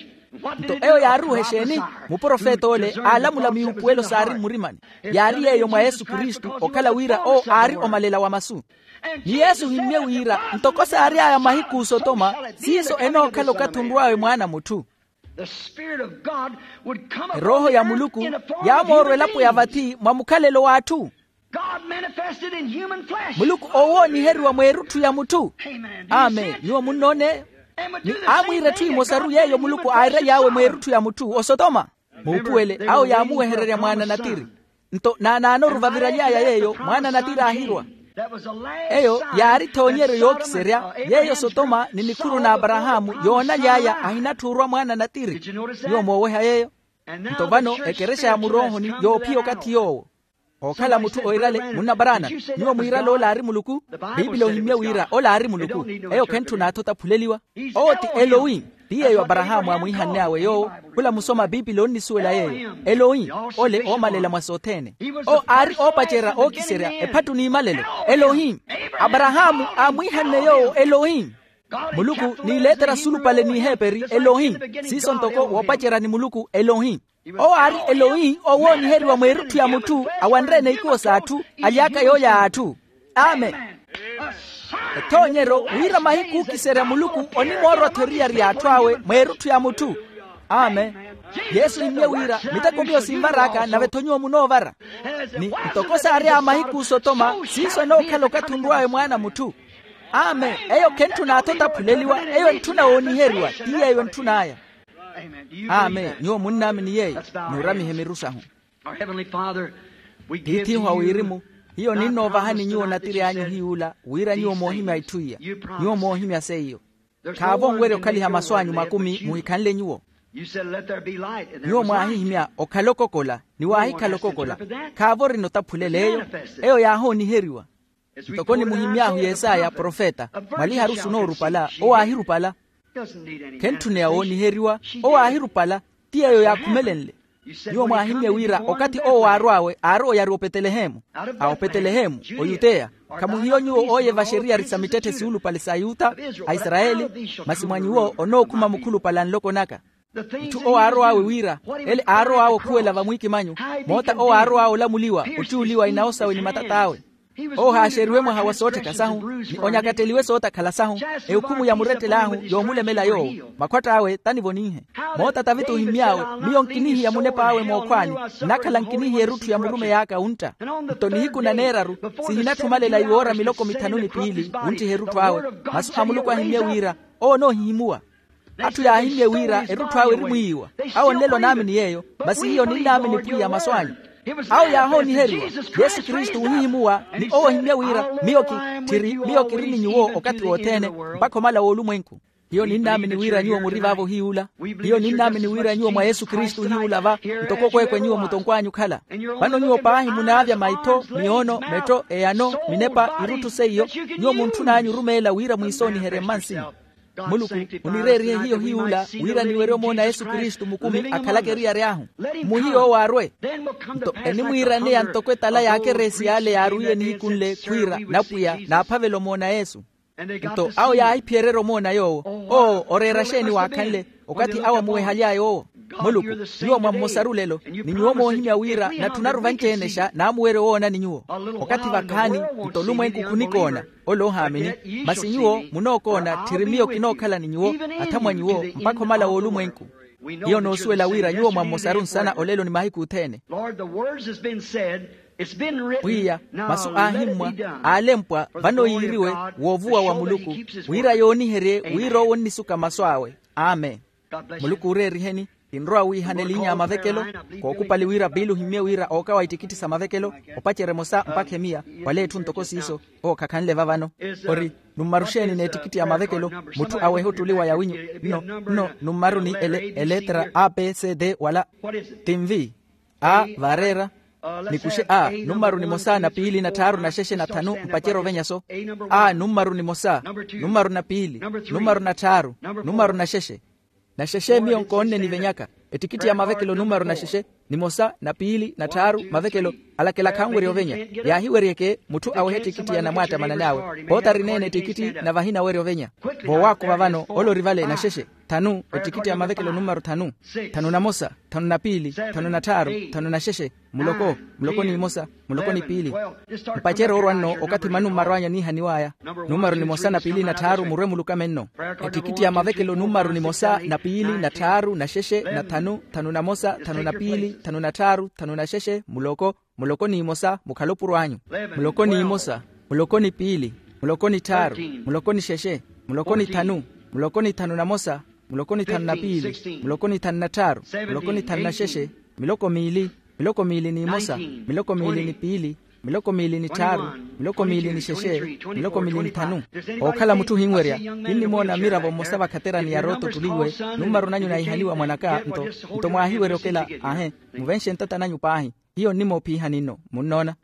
Nto eyo yaaruuha exeeni? Muprofeta ole aalamula miyuupuwelo saari mmurimani. Yaari yeeyo mwa yesu kristu okhala wira owo aari omalela wa masu. Ni yesu ohimmye wira ntoko saary'aya mahiku osotoma, siiso enookhala okathi onrw'awe mwaana a mutthu. Erooho ya muluku yaamoorwa elapo ya vathi mwa mukhalelo w'atthu. Muluku oowooniheriwa mweerutthu ya mutthu. Amen. Nyuwo munnoone eyo? Ni aamwiira etthu emosaru yeeyo muluku aaraly'awe mweerutthu ya mutthu osotoma. Muupuwele awo yaamuwehererya mwaana natiri. Nto naanaanoru vaviraly'aya yeeyo mwaana natiri aahirwa. Eyo yaari ethoonyeryo yookiserya yeeyo sotoma ni nikhuru n'aparahaamu yoonaly'aya ahinatthuurwa mwaana natiri. Nyuwo mooweha yeeyo? Nto vano ekerexa ya muroohoni yoophiya okathi yoowo. Ookhala mutthu oirale munna paraana. Nyuwo mwiirale ola aari muluku. Piipili ohimmye wira ola aari muluku. Eyo khentthuna athu otaphuleliwa. Owo ti elohi. Ti yeeyo aparahaamu aamwiihann'awe yoowo. Khula musoma piipili onnisuwela yeeyo elohi. Ole oomalela mwa sothene. Owo aari oopacerya ookiserya ephattu n'imalelo. Elohi. Aparahaamu aamwiihanne yoowo elohi. Muluku niileetera sulupale n'iheeperi elohi. Siiso ntoko woopacerya ni muluku elohi. Owo aari elohi owooniheriwa mweerutthu ya mutthu. Awanre-ene ikuwo s'atthu. Aly'aka yoolya a atthu. Amen. Ethoonyeryo wira mahiku ookiserya muluku onimoorwa-tho eriyari y'atthu awe mweerutthu ya mutthu. Amen. Yesu ohimmye wira miteko miyo sinvar'aka nave-tho nyuwo munoovara. Ni ntoko saari a mahiku osotoma siiso enookhala okathi onrw'awe mwaana a mutthu. Amen. Eyo khentthuna athu otaphuleliwa. Eyo entthuna wooniheriwa ti yeeyo entthun'aya. Amen. Nyuwo munnaamini yeeyo. Nuuramihe miru sahu. Tiith'ihu a wirimu, hiyo ninnoovahani nyuwo natiri anyu hiy'ula wira nyuwo moohimya itthu iya. Nyuwo moohimya seiyo. Khaavo onwerya okhaliha masu anyu makumi muhikhanle nyuwo. Nyuwo mwaahihimya okhala okokola ni waahikhala okokola. Khaavo orina otaphulel'eyo. Eyo yaahooniheriwa. Ntoko nimuhimy'ahu yesaya profeta, mwaliharu sunoorupala owo aahirupala. Khentthuneya wooniheriwa. Owo aahirupala. Ti yeeyo yaakhumelenle. Nyuwo mwaahimye wira okathi owo waarw'awe aari oyari opetelehemu. A opetelehemu, oyuteya. Khamuhiyo nyuwo ooyevaxa eriyari sa mittetthe siulupale s'ayuta, aisarayeli? Masi mwa nyuwo onookhuma mukhulupale a nloko naka. Mutthu owo aarow'awe wira, ele aarow'awe okhuwela vamwiikimanyu. Moota owo aarow'awe olamuliwa, ottiyuliwa inawo sawe ni matat'awe. Owo ohaaxeriwe mwaha wa soottheka sahu, ni onyakatteliwe sootakhala sahu. Ehukhumu ya murettel'ahu yoomulemela yoowo. Makhwatt'awe tanivoninhe. Moota taviti ohimmy'awe, miyo nkinihiya munep'awe mookhwaani. Nnakhala nkinihiya erutthu ya murumeyi aka wuntta. Nto nihiku na neeraru, sihinatthi omalela iwoora miloko mithanu ni piili wunttiha erutthu awe. Masu a muluku ahimmye wira, owo onoohihimuwa. Atthu yaahimmye wira erutthu awe erimwiiwa. Awo nlelo onaamini yeeyo. Masi hiyo ninnaamini pwiya masu anyu. Awo yaahooniheriwa. Yesu kristu wuhihimuwa. Ni owo ohimmye wira, miyo ki, tthiri miyo kiri ni nyuwo okathi wothene, mpakha omala w'olumwenku. Hiyo ninnaamini wira nyuwo muri vaavo hiy'ula. Hiyo ninnaamini wira nyuwo mwa yesu kristu hiy'ula va. Ntoko okweekwe nyuwo mutonkw'anyu okhala. Vano nyuwo paahi munaavya maitho, miyoono, metto, eyano, minepa, irutthu seiyo. Nyuwo muntthun'anyu orumeela wira mwiisooniherye mmansinyu. Muluku, onireerihe hiyo hiy'ula wira niwerye omoona yesu kristu mukumi akhalaka eriyari ahu. Mmuhiye owo arwe. Nto enimwiiraneya ntoko etala y'akereesi y'ale yaarwiye nihiku nle khwiira, napwiya naaphavela omoona yesu. Nto awo yaahiphiyererya omoona yoowo. Oo oreera xeeni waakhanle? Okathi awo amuwehaly'aya owo. Muluku, nyuwo mwa mmosaru lelo, ni nyuwo moohimya wira natthunaru vanci-enexa naamuwerya owoona ni nyuwo. Okathi vakhaani, nto olumwenku khunikoona. Ole ohaamini. Masi nyuwo munookoona tthiri miyo kinookhala ni nyuwo, athamwanyu wo, mpakha omala w'olumwenku. Hiyo noosuwela wira nyuwo mwa mmosaru nsana olelo ni mahiku othene. Pwiya, masu aahimmwa, aalempwa vano yiiriwe, woovuwa wa muluku, wira yooniherye wira owo onnisuka masu awe. Amen. Muluku ooreeriheni. Kinrowa wiihana elinya ya mavekelo. Kookupali wira piili ohimmye wira ookawa ittikitthi sa mavekelo, opacerya emosa mpakha emiya. Wala etthu ntoko siiso. Owo khakhanle va vano. Ori, nummaru xeeni n'ettikitthi ya mavekelo? Mutthu awehe ottuliwa yawinyu. Nno, nno nummaru ni eleetera a b c d wala? Tinvi. A, vareera. Nikuxe a, nummaru nimosa na piili na tthaaru na xexe na thanu mpacerya ovenya-so. A, nummaru nimosa, nummaru na piili, nummaru na tthaaru, nummaru na xexe. Na xexe miyo nkoonne nivenyaka. Ettikitthi ya mavekelo nummaru na xexe, nimosa na piili na tthaaru mavekelo. Alakela khanwerya ovenya. Yaahiweryeke mutthu awehe ettikitthi ya namwaattamana n'awe. Poota arineene ettikitthi na vahina awerya ovenya. Voowaakuva vano ole ori vale na xexe. Thanu, ettikitthi ya mavekelo nummaru thanu. Thanu na mosa, thanu na piili, thanu na tthaaru, thanu na xexe. Muloko, muloko n'imosa, muloko ni piili. Mpacerya oorwa nno okathi manummaru anyu aniihaniw'aya. Nummaru nimosa na piili na tthaaru murwe mulukame nno. Ettikitthi ya mavekelo nummaru nimosa na piili na tthaaru na xexe na thanu, thanu na mosa, thanu na piili, thanu na tthaaru, thanu na xexe, muloko, muloko n'imosa mukhale opuro anyu. Muloko n'imosa, muloko ni piili, muloko ni tthaaru, muloko ni xexe, muloko ni thanu, muloko ni thanu na mosa, muloko ni thanu na piili, muloko ni thanu na tthaaru, muloko ni thanu na xexe, miloko miili, miloko miili n'imosa, miloko miili ni piili, miloko miili ni tthaaru, miloko miili ni xexe, miloko miili ni thanu. Ookhala mutthu ohinwerya, kinnimoona miravo mmosa vakhaterani ya rooto ottuliwe. Nummaru nanyu naihaniwa mwanaka nto, nto mwaahiwerya okela. Ahe, muvenxe ntata nanyu paahi. Hiyo nnimoophihani nno. Munnoona?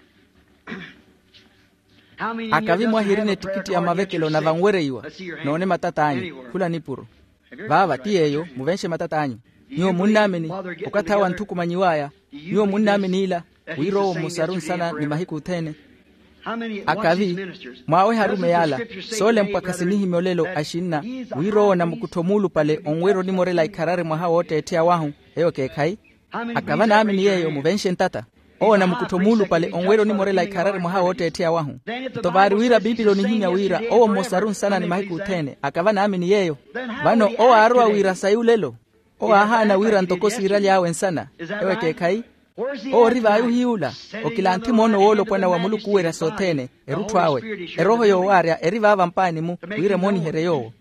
Akavi mwahirina ettikitti ya mavekelo na vanwereiwa? Noone matat'anyu. Khula nipuro. Vaava ti yeeyo, muvenxe matat'anyu. Nyuwo munnaamini okathi awo anthukumanyiw'aya? Nyuwo munnaamini ila wira owo mmosaru nsana ni mahiku othene? Akavi mwaaweha arumeyi ala, soolempwa khasinihimya olelo axinna wira owo namukuttho muulupale onwerya onimorela ikharari mwaha wootteettheya wahu? Eyo ekeekhayi. Akava naamini yeeyo muvenxe ntata. Owo namukuttho muulupale onwerya onimorela ikharari mwaha wootteettheya wahu. Nto vaari wira piipili onihimya wira owo mmosaru nsana ni mahiku othene akava naamini yeeyo. Vano owo aarowa wira sayi olelo. Owo aahaana wira ntoko siiraly'awe nsana. Ewo ekeekhayi. Owo ori vayu hiy'ula okilanthi moono woolopwana wa muluku owerya sothene erutthu awe. Erooho yoowaarya eri vaava mpaani-mu wira emooniherye yoowo.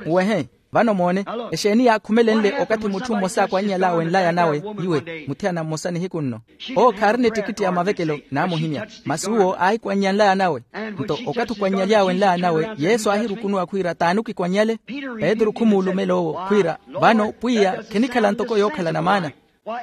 Muwehe. Vano moone, exeeni yaakhumelenle okathi mutthu mmosa aakwannyal'awe nlaya nawe? Iwe muthiyana mmosa nihiku nno. Owo khaarina ettikitti ya mavekelo naamuhimya. Masi uwo aahikwannya nlaya nawe. Nto okathi okwannyal'awe nlaya nawe yesu aahirukunuwa khwiira t'ani okikwannyale? Petru khumuulumela owo khwiira, vano pwiya khinikhala ntoko yookhalana maana.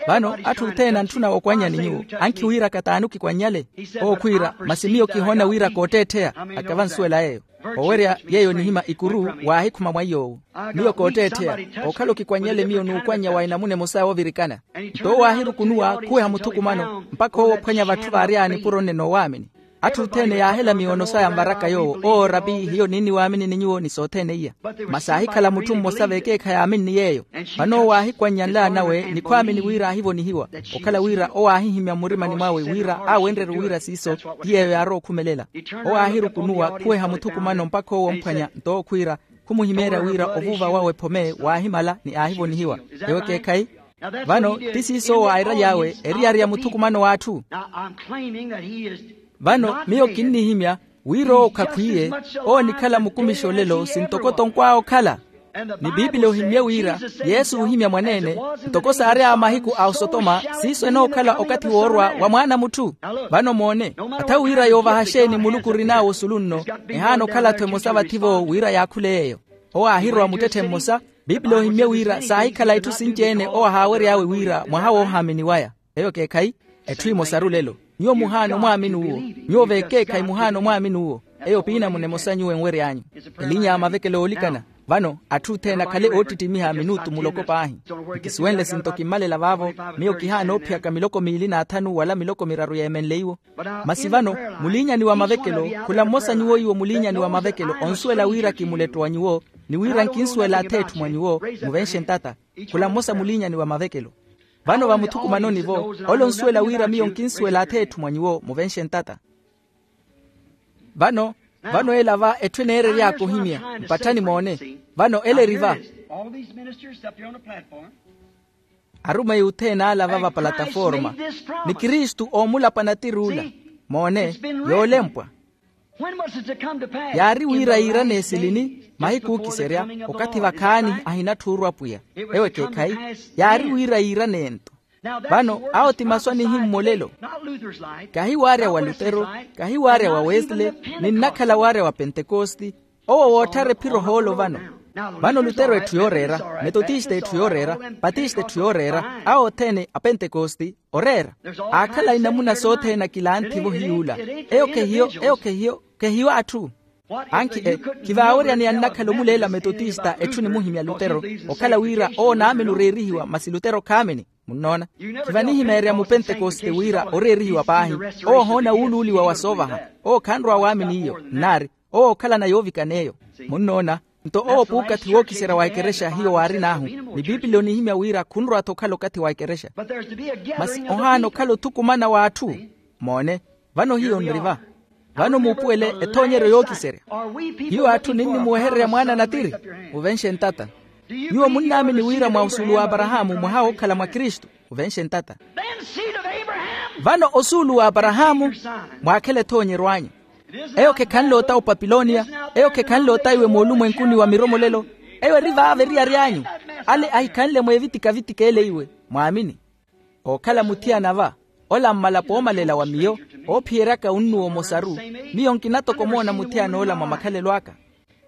Vano atthu othene antthunawe okwannyani nyuwo ankhiwiiraka t'ani okikwannyale? Owo khwiira masi miyo kihoona wira kootteettheya. Akava nsuwela yeeyo. Owerya yeeyo nihima ikuru waahikhuma mwa iy'owo. Miyo kootteettheya. Okhala okikwannyale miyo n'ukwannya wa enamuna emosa yoovirikana. Nto owo aahirukunuwa khuweha muthukumano mpakha owo ophwanya vatthu vaary'aya nipuro nne n'owaamini. Atthu othene yaahela miyono saya nvaraka yoowo owo rapi hiyo ninniwaamini ni nyuwo ni sothene iya. Masi aahikhala mutthu mmosa v'ekeekhayi aaminni yeeyo. Vano owo aahikwannya nlaya nawe ni khwaamini wira aahivonihiwa. Okhala wira owo aahihimya mmurimani mwawe wira aawenrerye wira siiso ti yeeyo yaarowa okhumelela. Owo aahirukunuwa khuweha muthukumano mpakha owo omphwanya nto owo khwiira khumuhimeerya wira ovuuva wawe phome waahimala ni aahivonihiwa. Ewo ekeekhayi. Vano ti siiso owo airaly'awe eriyari ya muthukumano w'atthu. Vano miyo kinnihimya wira owo khakhwiiye. Owo onikhala mukumixa olelo sintoko tonkw'awe okhala. Ni piipili ohimmye wira yesu oohimya mwaneene ntoko saary'awe mahiku a osotoma siiso enookhala okathi woorwa wa mwaana a mutthu. Vano moone, atha wira yoovaha xeeni muluku orin'awe osulu nno ehaana okhala-tho emosa vathi-vo wira yaakhule yeeyo. Owo aahirowa muttetthe mmosa. Piipili ohimmye wira saahikhala itthu sinci-ene owo ahaawery'awe wira mwaha woohaamini waya. Eyo ekeekhayi. Etthu emosaru lelo nyuwo muhaana omwaamini uwo. Nyuwo v'ekeekhayi muhaana omwaamini uwo. Eyo piinamuna emosa nyuwo enwery'anyu elinya ya mavekelo oolikana. Vano atthu othene akhale oottittimiha minutu muloko paahi. Nkisuwenle sinto kimmalela vaavo. Miyo kihaana oophiyaka miloko miili n'athanu wala miloko miraru yeemenle iwo. Masi vano muliinyani wa mavekelo khula mmosa nyuwo iwo muliinyani wa mavekelo onsuwela wira kimuletto wa nyuwo ni wira nkinsuwela ath'etthu mwa nyuwo muvenxe ntata. Khula mmosa muliinyani wa mavekelo. Vano vamuthukumanoni-vo ole onsuwela wira miyo nkinsuwela ath'etthu mwa nyuwo muvenxe ntata. Vano vano ela va etthu eneerery'aka ohimya mpatthani moone. Vano ele eri va. Arumeyi othene ala va vapalataforma ni kristu oomulapwana tir'ula. Moone yoolempwa. Yaari wira yiirane esilini mahiku ookiserya okathi vakhaani ahinatthu orwa pwiya. Ewo ekeekhayi. Yaari wira yiirane ento. Vano awo ti masu anihimmolelo. Kahi waarya wa lutero, kahi waarya wa wesley, ninnakhala waarya wa pentekosti. Owo wootthara ephiro hoolo vano. Vano lutero etthu yooreera, metotista etthu yooreera, patista etthu yooreera, awo othene apentekosti oreera. Aakhala inamuna sothene akilanthi-vo hiy'ula. Eyo khehiyo eyo khehiyo khehiyo atthu. Ankhi e khivaawerya ni annakhala omuleela metotista etthu nimuhimya lutero, okhala wira owo naamini oreerihiwa masi lutero khaamini. Munnoona? Khivanihimeerya mupentekoste wira oreerihiwa paahi. Owo ohoona wuuluuliwa wa soovaha. Owo khanrowa waamini iyo nnaari. Owo okhalana yoovikana eyo. Munnoona? Nto owo puukathi wookiserya wa ekerexa hiyo waarin'ahu. Ni piipili onihimya wira khunrowa-tho okhala okathi wa ekerexa. Masi ohaana okhala othukumana w'atthu. Moone. Vano hiyo nri va. Vano muupuwele ethoonyeryo yookiserya. Hiyo atthu ninnimuwehererya mwaana natiri. Muvenxe ntata. Nyuwo munnaamini wira mwa osuulu w'aparahaamu mwaha wookhala mwa kristu. Muvenxe ntata. Vano osuulu w'aparahaamu mwaakhela ethoonyeryo anyu. Eyo khekhanle ota opapiloniya. Eyo khekhanle ota iwe moolumwenkuni wa miromolelo. Eyo eri vaava eriyari anyu. Ale ahikhanle mweevitika-vitika ele iwe mwaamini. Ookhala muthiyana va. Ola mmalapo oomalela wa miyo oophiyeryaka unnuwa omosaru. Miyo nkina toko omoona muthiyan'ola mwa makhalelo aka.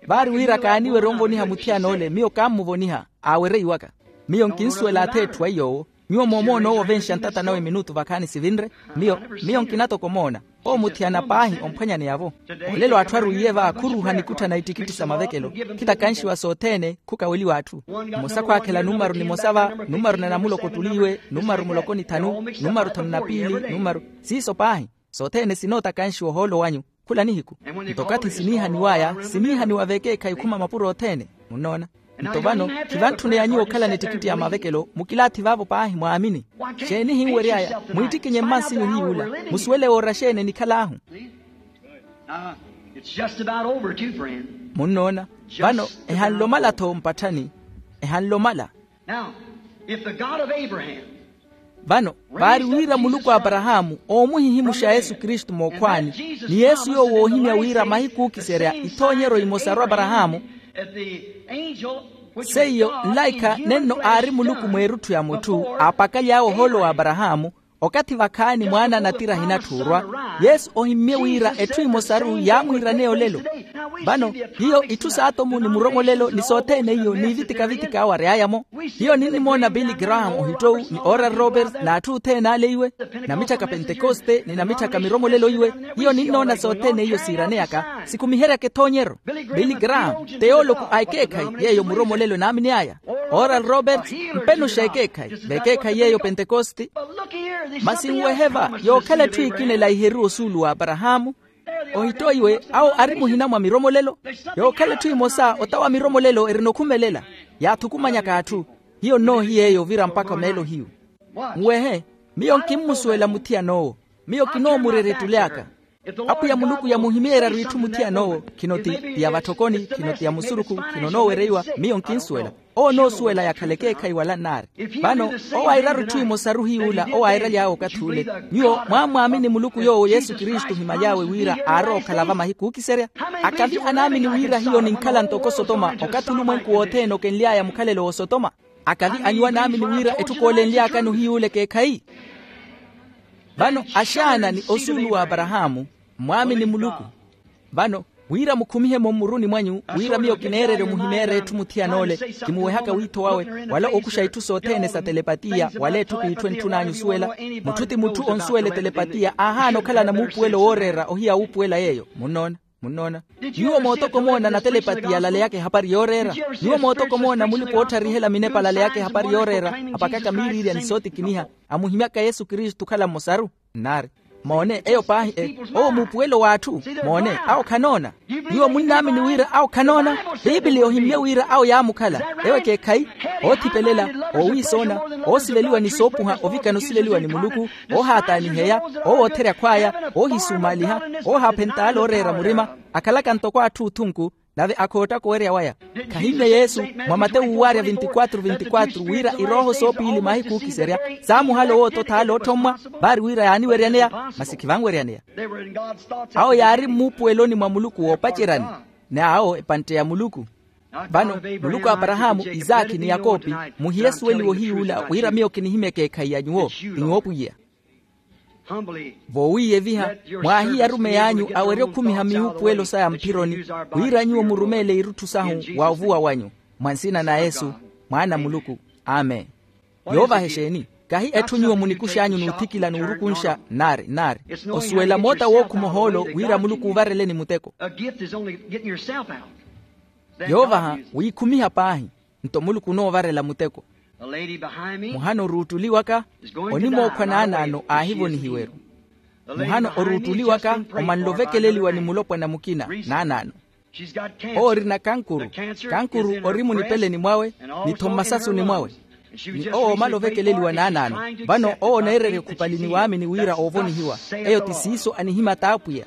Vaari wira kaaniwerya onvoniha muthiyan'ole miyo kaammuvoniha aawereiwaka. Miyo nkinsuwela ath'etthu aiy'owo. Nyuwo moomoona owo ovenxa ntata nawe minutu vakhaani sivinre. Miyo miyo nkina toko omoona. Owo muthiyana paahi omphwanyaneyavo. Olelo atthu arwiiye va khuruuha nikutthana ittikitti sa mavekelo. Khitakanxiwa sothene khukaweliwa atthu. Mmosa khwaakhela numaru nimosa va numaru na namuloko ttuliiwe numaru muloko ni thanu numaru thanu na piili numaru siiso paahi. Sothene sinootakanxiwa ohoolo wanyu. Khula nihiku nto okathi siniihaniw'aya siniihaniwa vekeekhayi khuma mapuro othene. Munnoona? Nto vano khivantthune ya nyuwo okhalana ettikitti ya mavekelo mukilaathi vaavo paahi mwaamini. Xeeni ehinwery'aya mwiittikinye mmansinyu hiy'ula? Musuwele woora xeeni enikhal'ahu? Munnoona? Vano ehanle omala-tho mpatthani. Ehanle omala. Now, if the God of Abraham vano vaari wira muluku a aparahaamu oomuhihimuxa yesu kristu mookhwaani ni yesu yoowo oohimya wira mahiku ookiserya ithoonyeryo imosaru aparahaamu. Seiyo nlaikha nenno aari muluku mweerutthu ya mutthu aapakaly'awe ohoolo wa aparahaamu. Okathi vakhaani mwaana a natira ahinatthuurwa yesu ohimmye wira etthu imosaru yaamwiiraneya olelo. Vano hiyo itthu saatomu ni muromolelo ni sothene iyo n'ivitika-vitika awo ary'aya-mo. Hiyo ninnimoona billy graham ohittowu ni oral roberts n'atthu othene ale iwe, namitthaka pentekoste ni namitthaka miromolelo iwe. Hiyo ninnoona sothene iyo siiraneyaka sikhumiheryaka ethoonyeryo. Billy graham teyooloko a ekeekhayi yeeyo muromolelo enaamini aya. Oral roberts mpenoxa ekeekhayi vekeekhayi yeeyo pentekoste. Masi nwehe va yookhala etthu ekina elaiheriwa osuulu wa aparahaamu. Ohitto iwe awo ari muhina mwa miromolelo. Yookhala etthu emosa otawa miromolelo erina okhumelela yaathukumanyaka atthu. Hiyo nnoohiya eyo ovira mpakha meelo hiyu. Nwehe miyo nkimmusuwela muthiyan'owo. Miyo kinoomurerya ettule aka. Apwiya muluku yamuhimeeryaru itthu muthiyan'owo khino ti ya vatthokoni khino ti ya musurukhu khino onoowereiwa. Miyo nkinsuwela owo onoosuwela yakhala ekeekhayi wala nnaari. Vano owo airaru itthu imosaru hiy'ula owo airaly'awe okathi ule. Nyuwo mwammwaamini muluku yoowo yesu kristu ohimaly'awe wira aarowa okhala va mahiku ookiserya. Akavi anaamini wira hiyo ninkhala ntoko sotoma okathi olumwenku wothene okenly'aya mukhalelo w'osotoma. Akavi anyuwa naamini wira etthu koolenly'akano hiy'ule ekeekhayi. Vano axaana ni osuulu wa aparahaamu mwaamini muluku. Vano wira mukhumihe-mo mmuruni mwanyu wira miyo kineererya omuhimeerya etthu muthiyan'ole kimuwehaka wiitho wawe wala okuxa itthu sothene sa telepatiya wala etthu kiitthu entthun'anyu osuwela. Mutthu ti mutthu onsuwela etelepatiya aahaana okhalana muupuwelo wooreera ohiya wuupuwela yeeyo. Munnoona? Munnoona? Nyuwo mootoko moona na telepatiya alaleyaka ehapari yooreera? Nyuwo mootoko moona mulipa ootharihela minepa alaleyaka ehapari yooreera apakaka miiriirya ni sootikiniha amuhimyaka yesu kristu okhala mmosaru? Nnaari. Moone eyo paahi e owo muupuwelo w'atthu. Moone awo khanoona. Nyuwo munnaamini wira awo khanoona? Piipiliya ohimmye wira awo yaamukhala. Ewo ekeekhayi oothipelela oowiisoona oosiveliwa ni soopuha ovikana osiveliwa ni muluku oohaataaniheya oowotherya khw'aya oohisuumaaliha oohaaphentaala ooreera murima akhalaka ntoko atthu othunku nave akhoottaka owerya waya. Khahimmye yesu mwa matewu uwaarya vintikwatru vintikwatru wira irooho soopiili mahiku ookiserya saamuhala owoota othaala otthommwa vaari wira yaaniweryaneya masi khivanweryaneya. Awo yaari mmuupuweloni mwa muluku woopaceryani n'awo epantte ya muluku. Vano muluku a aparahaamu isaakhi ni yakopi muhiyesuweliwe ohiy'ula wira miyo kinihimya ekeekhayi ya nyuwo. Ti nyuwo pwiya. Voowiiyeviha mwaahiye arumeyi anyu awerye okhumiha miwuupuwelo saya mphironi wira nyuwo murumeele irutthu sahu wa ovuwa wanyu. Mwa nsina na yesu mwaana a muluku. Amen. Yoovaha exeeni? Kahi etthu nyuwo munikux'anyu n'uthikila n'urukunxa nnaari nnaari osuwela moota wookhuma ohoolo wira muluku uuvareleni muteko. Yoovaha wiikhumiha paahi nto muluku onoovarela muteko. Muhana oruuttuli waka onimookhwa naanaano aahivonihiweru. Muhana oruuttuli waka omanle ovekeleliwa ni mulopwana mukina naanaano. Owo orina kankuru. Kankuru ori munipeleni mwawe ni-tho mmasasuni mwawe. Ni owo omala ovekeleliwa naanaano vano owo oneererya okhupali ni waamini wira oovonihiwa. Eyo ti siiso anihimya t'apwiya.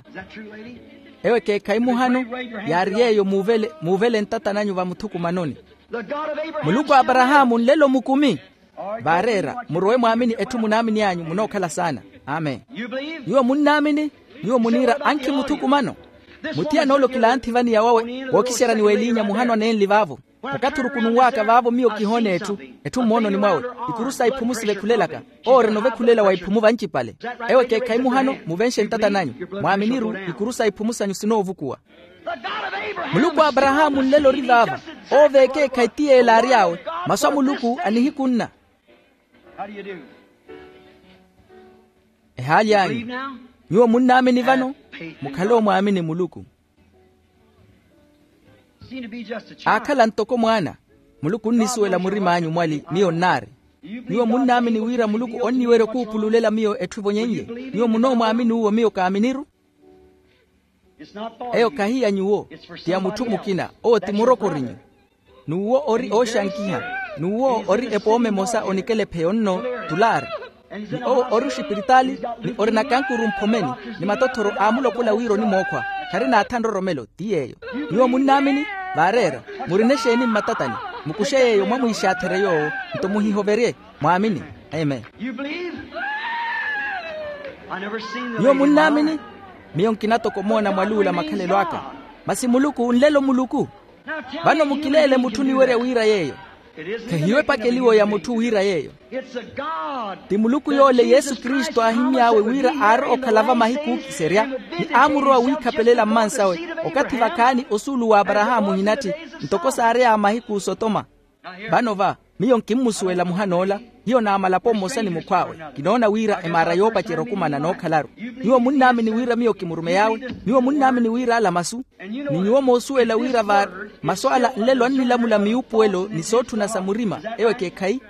Ewo ekeekhayi muhano yaari yeeyo muuvele muuvele ntata nanyu vamuthukumanoni. Muluku a aparahaamu nlelo mukumi. Vaareera murowe mwaamini etthu munaamini anyu munookhala saana. Amen. Nyuwo munnaamini? Nyuwo muniira ankhi muthukumano. Muthiyan'ole okilanthi vaniya wawe wookiseryani w'eliinya muhano aneenli vaavo. Okathi orukununw'aka vaavo miyo kihoona etthu. Etthu mmoononi mwawe ikuru sa iphumu sivekhulelaka. Owo orina ovekhulela wa iphumu vancipale. Ewo ekeekhayi muhano muvenxe ntata nanyu. Mwaaminiru ikuru sa iphumu sanyu sinoovukuwa. Muluku a aparahaamu nlelo ori vaava. Owo v'ekeekhayi ti yeela aary'awe. Masu a muluku a nihiku nna. Ehaali anyu, nyuwo munnaamini vano? Mukhale omwaamini muluku. Aakhala ntoko mwaana. Muluku onnisuwela murim'anyu mwali miyo nnaari. Nyuwo munnaamini wira muluku onniwerya okuupululela miyo etthu evonyen'ye? Nyuwo munoomwaamini uwo miyo kaaminiru? Eyo khahi ya nyuwo, ti ya mutthu mukina. Owo ti murokorinyu. N'uwo ori ooxankiha. N'uwo ori epooma emosa onikela epheyo nno, tulaari. Ni owo ori oxipiritaali, ni ori nakankuru mphomeni, ni matothoro aamulokola wira onimookhwa. Kharina atha nroromelo ti yeeyo. Nyuwo munnaamini? Vaareera. Murina exeeni mmatatani? Mukuxe yeeyo mwamwiixaatherye yoowo. Nto muhihoverye. Mwaamini. Amen. Nyuwo munnaamini? Miyo nkina toko omoona mwaluula makhalelo aka. Masi muluku nlelo muluku. Vano mukileele mutthu oniwerya wira yeeyo. Khehiyo epakeliwo ya mutthu wira yeeyo. Ti muluku yoole yesu kristu aahimmy'awe wira aarowa okhala va mahiku ookiserya, ni aamurowa wiikhapelela mmansawe, okathi vakhaani osuulu w'aparahaamu ohinatthi, ntoko saary'aya mahiku osotoma. Vano va, miyo nkimmusuwela muhan'ola. Hiyo naamalapo mmosa ni mukhw'awe. Kinoona wira emaara yoopacerya okumana nookhalaru. Nyuwo munnaamini wira miyo kimurumey'awe? Nyuwo munnaamini wira ala masu? Ni nyuwo moosuwela wira va masu ala nlelo annilamula miyuupuwelo ni sootthuna sa murima, ewo ekeekhayi.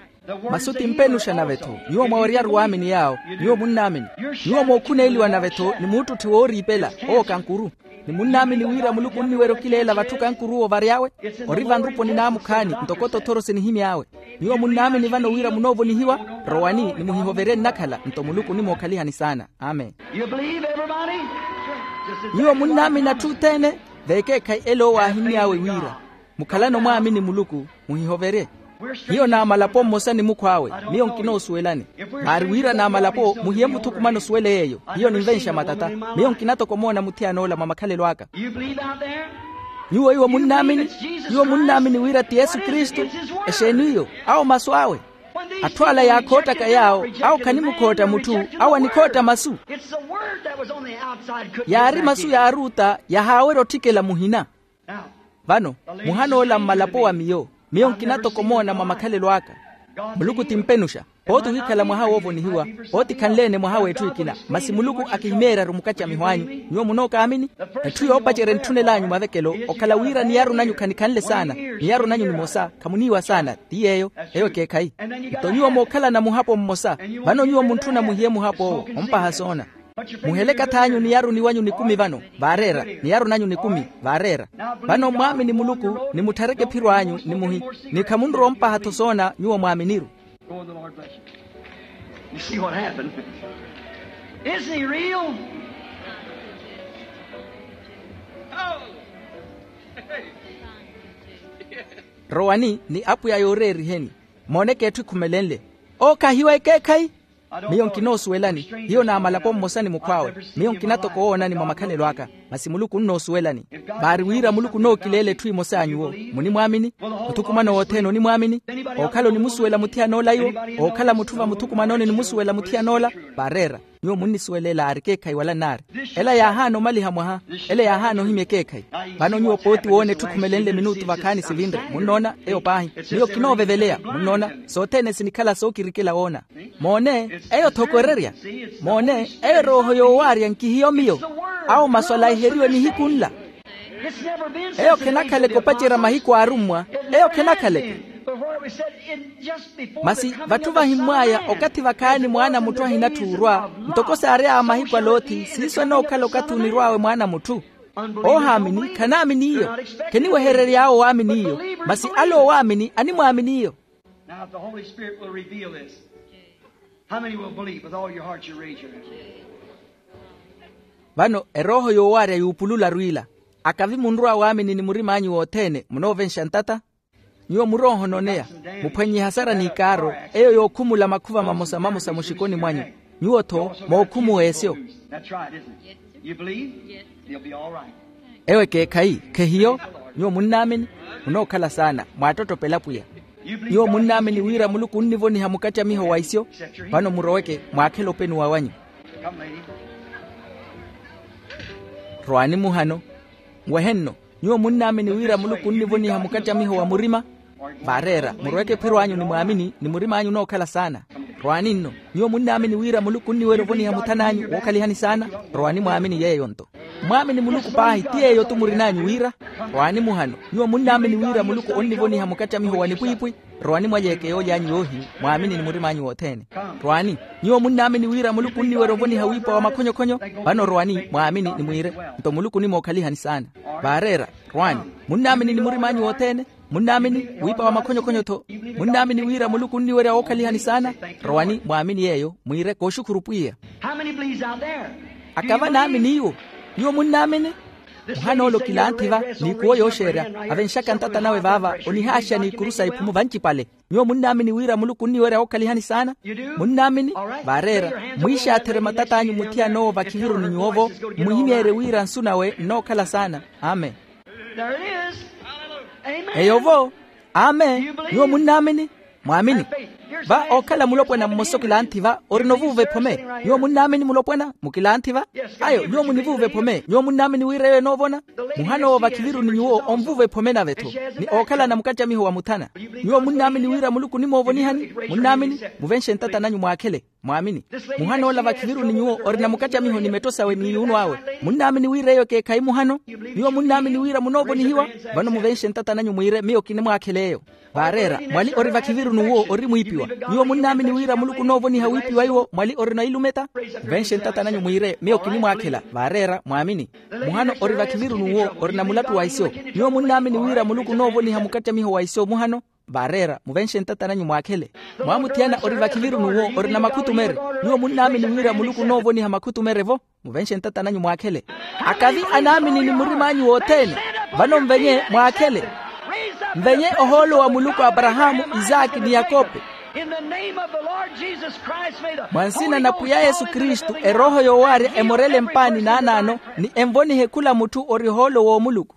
Masu ti mpenuxa nave-tho. Nyuwo mwaweryaru waamini yaawo. Nyuwo munnaamini. Nyuwo mookhuneeliwa nave-tho ni muuttutthi wooriipela, owo kankuru. Ni munnaamini wira muluku onniwerya okileela vatthu kankuru owo vary'awe? Ori vanruponi naamukhaani ntoko tothoro sinihimy'awe. Nyuwo munnaamini vano wira munoovonihiwa? Rowani ni muhihoverye nnakhala nto muluku onimookhalihani saana. Amen. Nyuwo munnaamini atthu othene? Vekeekhayi ele owo aahimmy'awe wira. Mukhalane omwaamini muluku. Muhihoverye. Hiyo naamalapo mmosa ni mukhw'awe. Miyo nkinoosuwelani. Vaari wira naamalapo muhiye muthukumano osuwele yeeyo. Hiyo ninvenxa matata. Miyo nkina toko omoona muthiyan'ola mwa makhalelo aka. Nyuwo iwo munnaamini? Iwo munnaamini wira ti yesu kristu? Exeeni iyo? Awo masu awe. Atthu ala yaakhoottaka yaawo, awo khanimukhootta mutthu. Awo anikhootta masu. Yaari masu yaaruutta yahaawerya otthikela muhina. Vano, muhan'ola mmalapo wa miyo. Miyo nkina toko omoona mwa makhalelo aka. Muluku ti mpenuxa. Pooti ohikhala mwaha woovonihiwa. Pooti khanle-ene mwaha w'etthu ekina. Masi muluku akihimeeryaru mukattamiho anyu. Nyuwo munookaamini? Etthu yoopacerya entthunel'anyu mavekelo okhala wira niyaru nanyu khanikhanle saana. Niyaru nanyu nimosa. Khamuniiwa saana. Ti yeeyo. Eyo ekeekhayi. Nto nyuwo mookhalana muhapo mmosa. Vano nyuwo muntthuna muhiye muhap'owo ompaha soona. Muhele ekath'anyu niyaru niwanyu nikumi vano. Vaareera. Niyaru nanyu nikumi. Vaareera. Vano mwaamini muluku. Ni mutthareke ephiro anyu ni muhi. Ni khamunrowa ompaha-tho soona nyuwo mwaaminiru. Rowani ni apwiya yooreeriheni. Mooneke etthu ekhumelenle. Owo khahiyo ekeekhayi. Miyo nkinoosuwelani. Hiyo naamalapo mmosa ni mukhw'awe. Miyo nkina toko owoonani mwa makhalelo aka. Masi muluku onnoosuwelani. Vaari wira muluku onookileela etthu emosa ya nyuwo. Munimwaamini? Muthukumano wothene onimwaamini? Ookhala onimusuwela muthiyan'ola iwo? Ookhala mutthu va muthukumanoni onimusuwela muthiyan'ola? Vaareera. Nyuwo munnisuwelela ari ekeekhayi wala nnaari. Ela yaahaana omaliha mwaha. Ela yaahaana ohimya ekeekhayi. Vano nyuwo pooti woona etthu ekhumelenle minuutu vakhaani sivinre munnoona. Eyo paahi. Miyo kinooveveleya munnoona. Sothene sinikhala sookirikela woona. Moone. Eyo-tho okwererya. Moone. Eyo erooho yoowaarya nkihiyo miyo. Awo masu alaiheriwe nihiku nla. Eyo khenakhaleke opacerya mahiku aarummwa. Eyo khenakhaleke. Masi vatthu vahimmw'aya okathi vakhaani mwaana a mutthu ahinatthu orwa. Ntoko saary'aya mahiku a loti siiso enookhala okathi onirw'awe mwaana a mutthu. Oohaamini khanaamini iyo. Kheniweherery'awe owaamini iyo. Masi ale owaamini animwaamini iyo. Now, if the Holy Spirit will reveal this, how many will believe with all your hearts? You raise your hand. Vano erooho yoowaarya yuupulularu ila. Akavi munrwa waamini ni murim'anyu wothene munoovenxa ntata. Nyuwo muroohononeya. Muphwannye ehasara n'ikaaro. Eyo yookhumula makhuva mamosa mamosa muxikoni mwanyu. Nyuwo-tho mookhumuwa esyo. That's right, isn't it? You believe? You'll be all right. Ewo ekeekhayi. Khehiyo? Nyuwo munnaamini? Munookhala saana mwaattottopela pwiya. Nyuwo munnaamini wira muluku onnivoniha mukattamiho wa isyo? Vano muroweke mwaakhele openuwa wanyu. Rwaani muhano. Nwehe nno. Nyuwo munnaamini wira muluku onnivoniha mukattamiho wa murima? Vaareera muroweke ephiro anyu ni mwaamini ni murim'anyu onookhala saana. Rwaani nno. Nyuwo munnaamini wira muluku onniwerya ovoniha muthan'anyu wookhalihani saana? Rwaani mwaamini yeeyo-nto. Mwaamini muluku paahi ti yeeyo-tu murin'anyu wira. Rwaani muhano. Nyuwo munnaamini wira muluku onnivoniha mukattamiho wa nipwiipwi? Rwaani mwalyeeke yooly'anyu yoohiyu, mwaamini ni murim'anyu wothene. Rwaani. Nyuwo munnaamini wira muluku onniwerya ovoniha wiipa wa makhonyokhonyo? Vano rwaani mwaamini ni mwiire, nto muluku onimookhalihani saana. Vaareera. Rwaani. Munnaamini ni murim'anyu wothene? Munnaamini wiipa wa makhonyokhonyo-tho? Munnaamini wira muluku onniwerya wookhalihani saana? Rowani mwaamini yeeyo mwiire kooxukhuru pwiya. Akava naamini iwo? Nyuwo munnaamini? Muhana ole okilanthi va, n'ikuwo yooxeerya, avenxaka ntata nawe vaava onihaaxa n'ikuru sa iphumu vancipale. Nyuwo munnaamini wira muluku onniwerya wookhalihani saana? Munnaamini? Vaareera. Mwiixaatherye matat'anyu muthiyan'owo vakhiviruni nyuwo-vo. Mmuhimyeerye wira nsu nawe nnookhala saana. Amen. Eyo-vo. Amen. Nyuwo munnaamini? Mwaamini. Va ookhala mulopwana mmosa okilanthi va orina ovuuva ephome. Nyuwo munnaamini mulopwana mukilanthi va? Ayo nyuwo munivuuva ephome nyuwo munnaamini wira eyo enoovona? Muhana owo vakhiviruni nyuwo onvuuva ephome nave-tho, ni ookhalana mukattamiho wa muthana. Nyuwo munnaamini wira muluku onimoovonihani? Munnaamini? Muvenxe ntata nanyu mwaakhele. Mwaamini. Muhana ola vakhiviruni nyuwo orina mukattamiho ni metto sawe n'iyuunu awe. Munnaamini wira eyo ekeekhayi muhano? Nyuwo munnaamini wira munoovonihiwa? Vano muvenxe ntata nanyu mwiire miyo kinimwaakhela eyo. Vaareera. Mwali ori vakhiviruni uwo ori mwiipiwa. Nyuwo munnaamini wira muluku onoovoniha wiipiwa iwo mwali orina ilumeta? Muvenxe ntata nanyu mwiire miyo kinimwaakhela. Vaareera mwaamini. Muhano ori vakhiviruni uwo orina mulattu wa isyo. Nyuwo munnaamini wira muluku onoovoniha mukattamiho wa isyo muhano? Vaareera muvenxe ntata nanyu mwaakhele. Mwaamuthiyana ori vakhiviruni uwo orina makhutumere. Nyuwo munnaamini wira muluku onoovoniha makhutumere-vo? Muvenxe ntata nanyu mwaakhele. Akavi anaamini ni murim'anyu wothene, vano mvenye mwaakhele. Mvenye ohoolo wa muluku a aparahaamu, isaaki ni yakope. Mwa nsina na pwiya yesu kristu erooho yoowaarya emorele mpaani naanaano, ni envonihe khula mutthu ori ohoolo w'omuluku.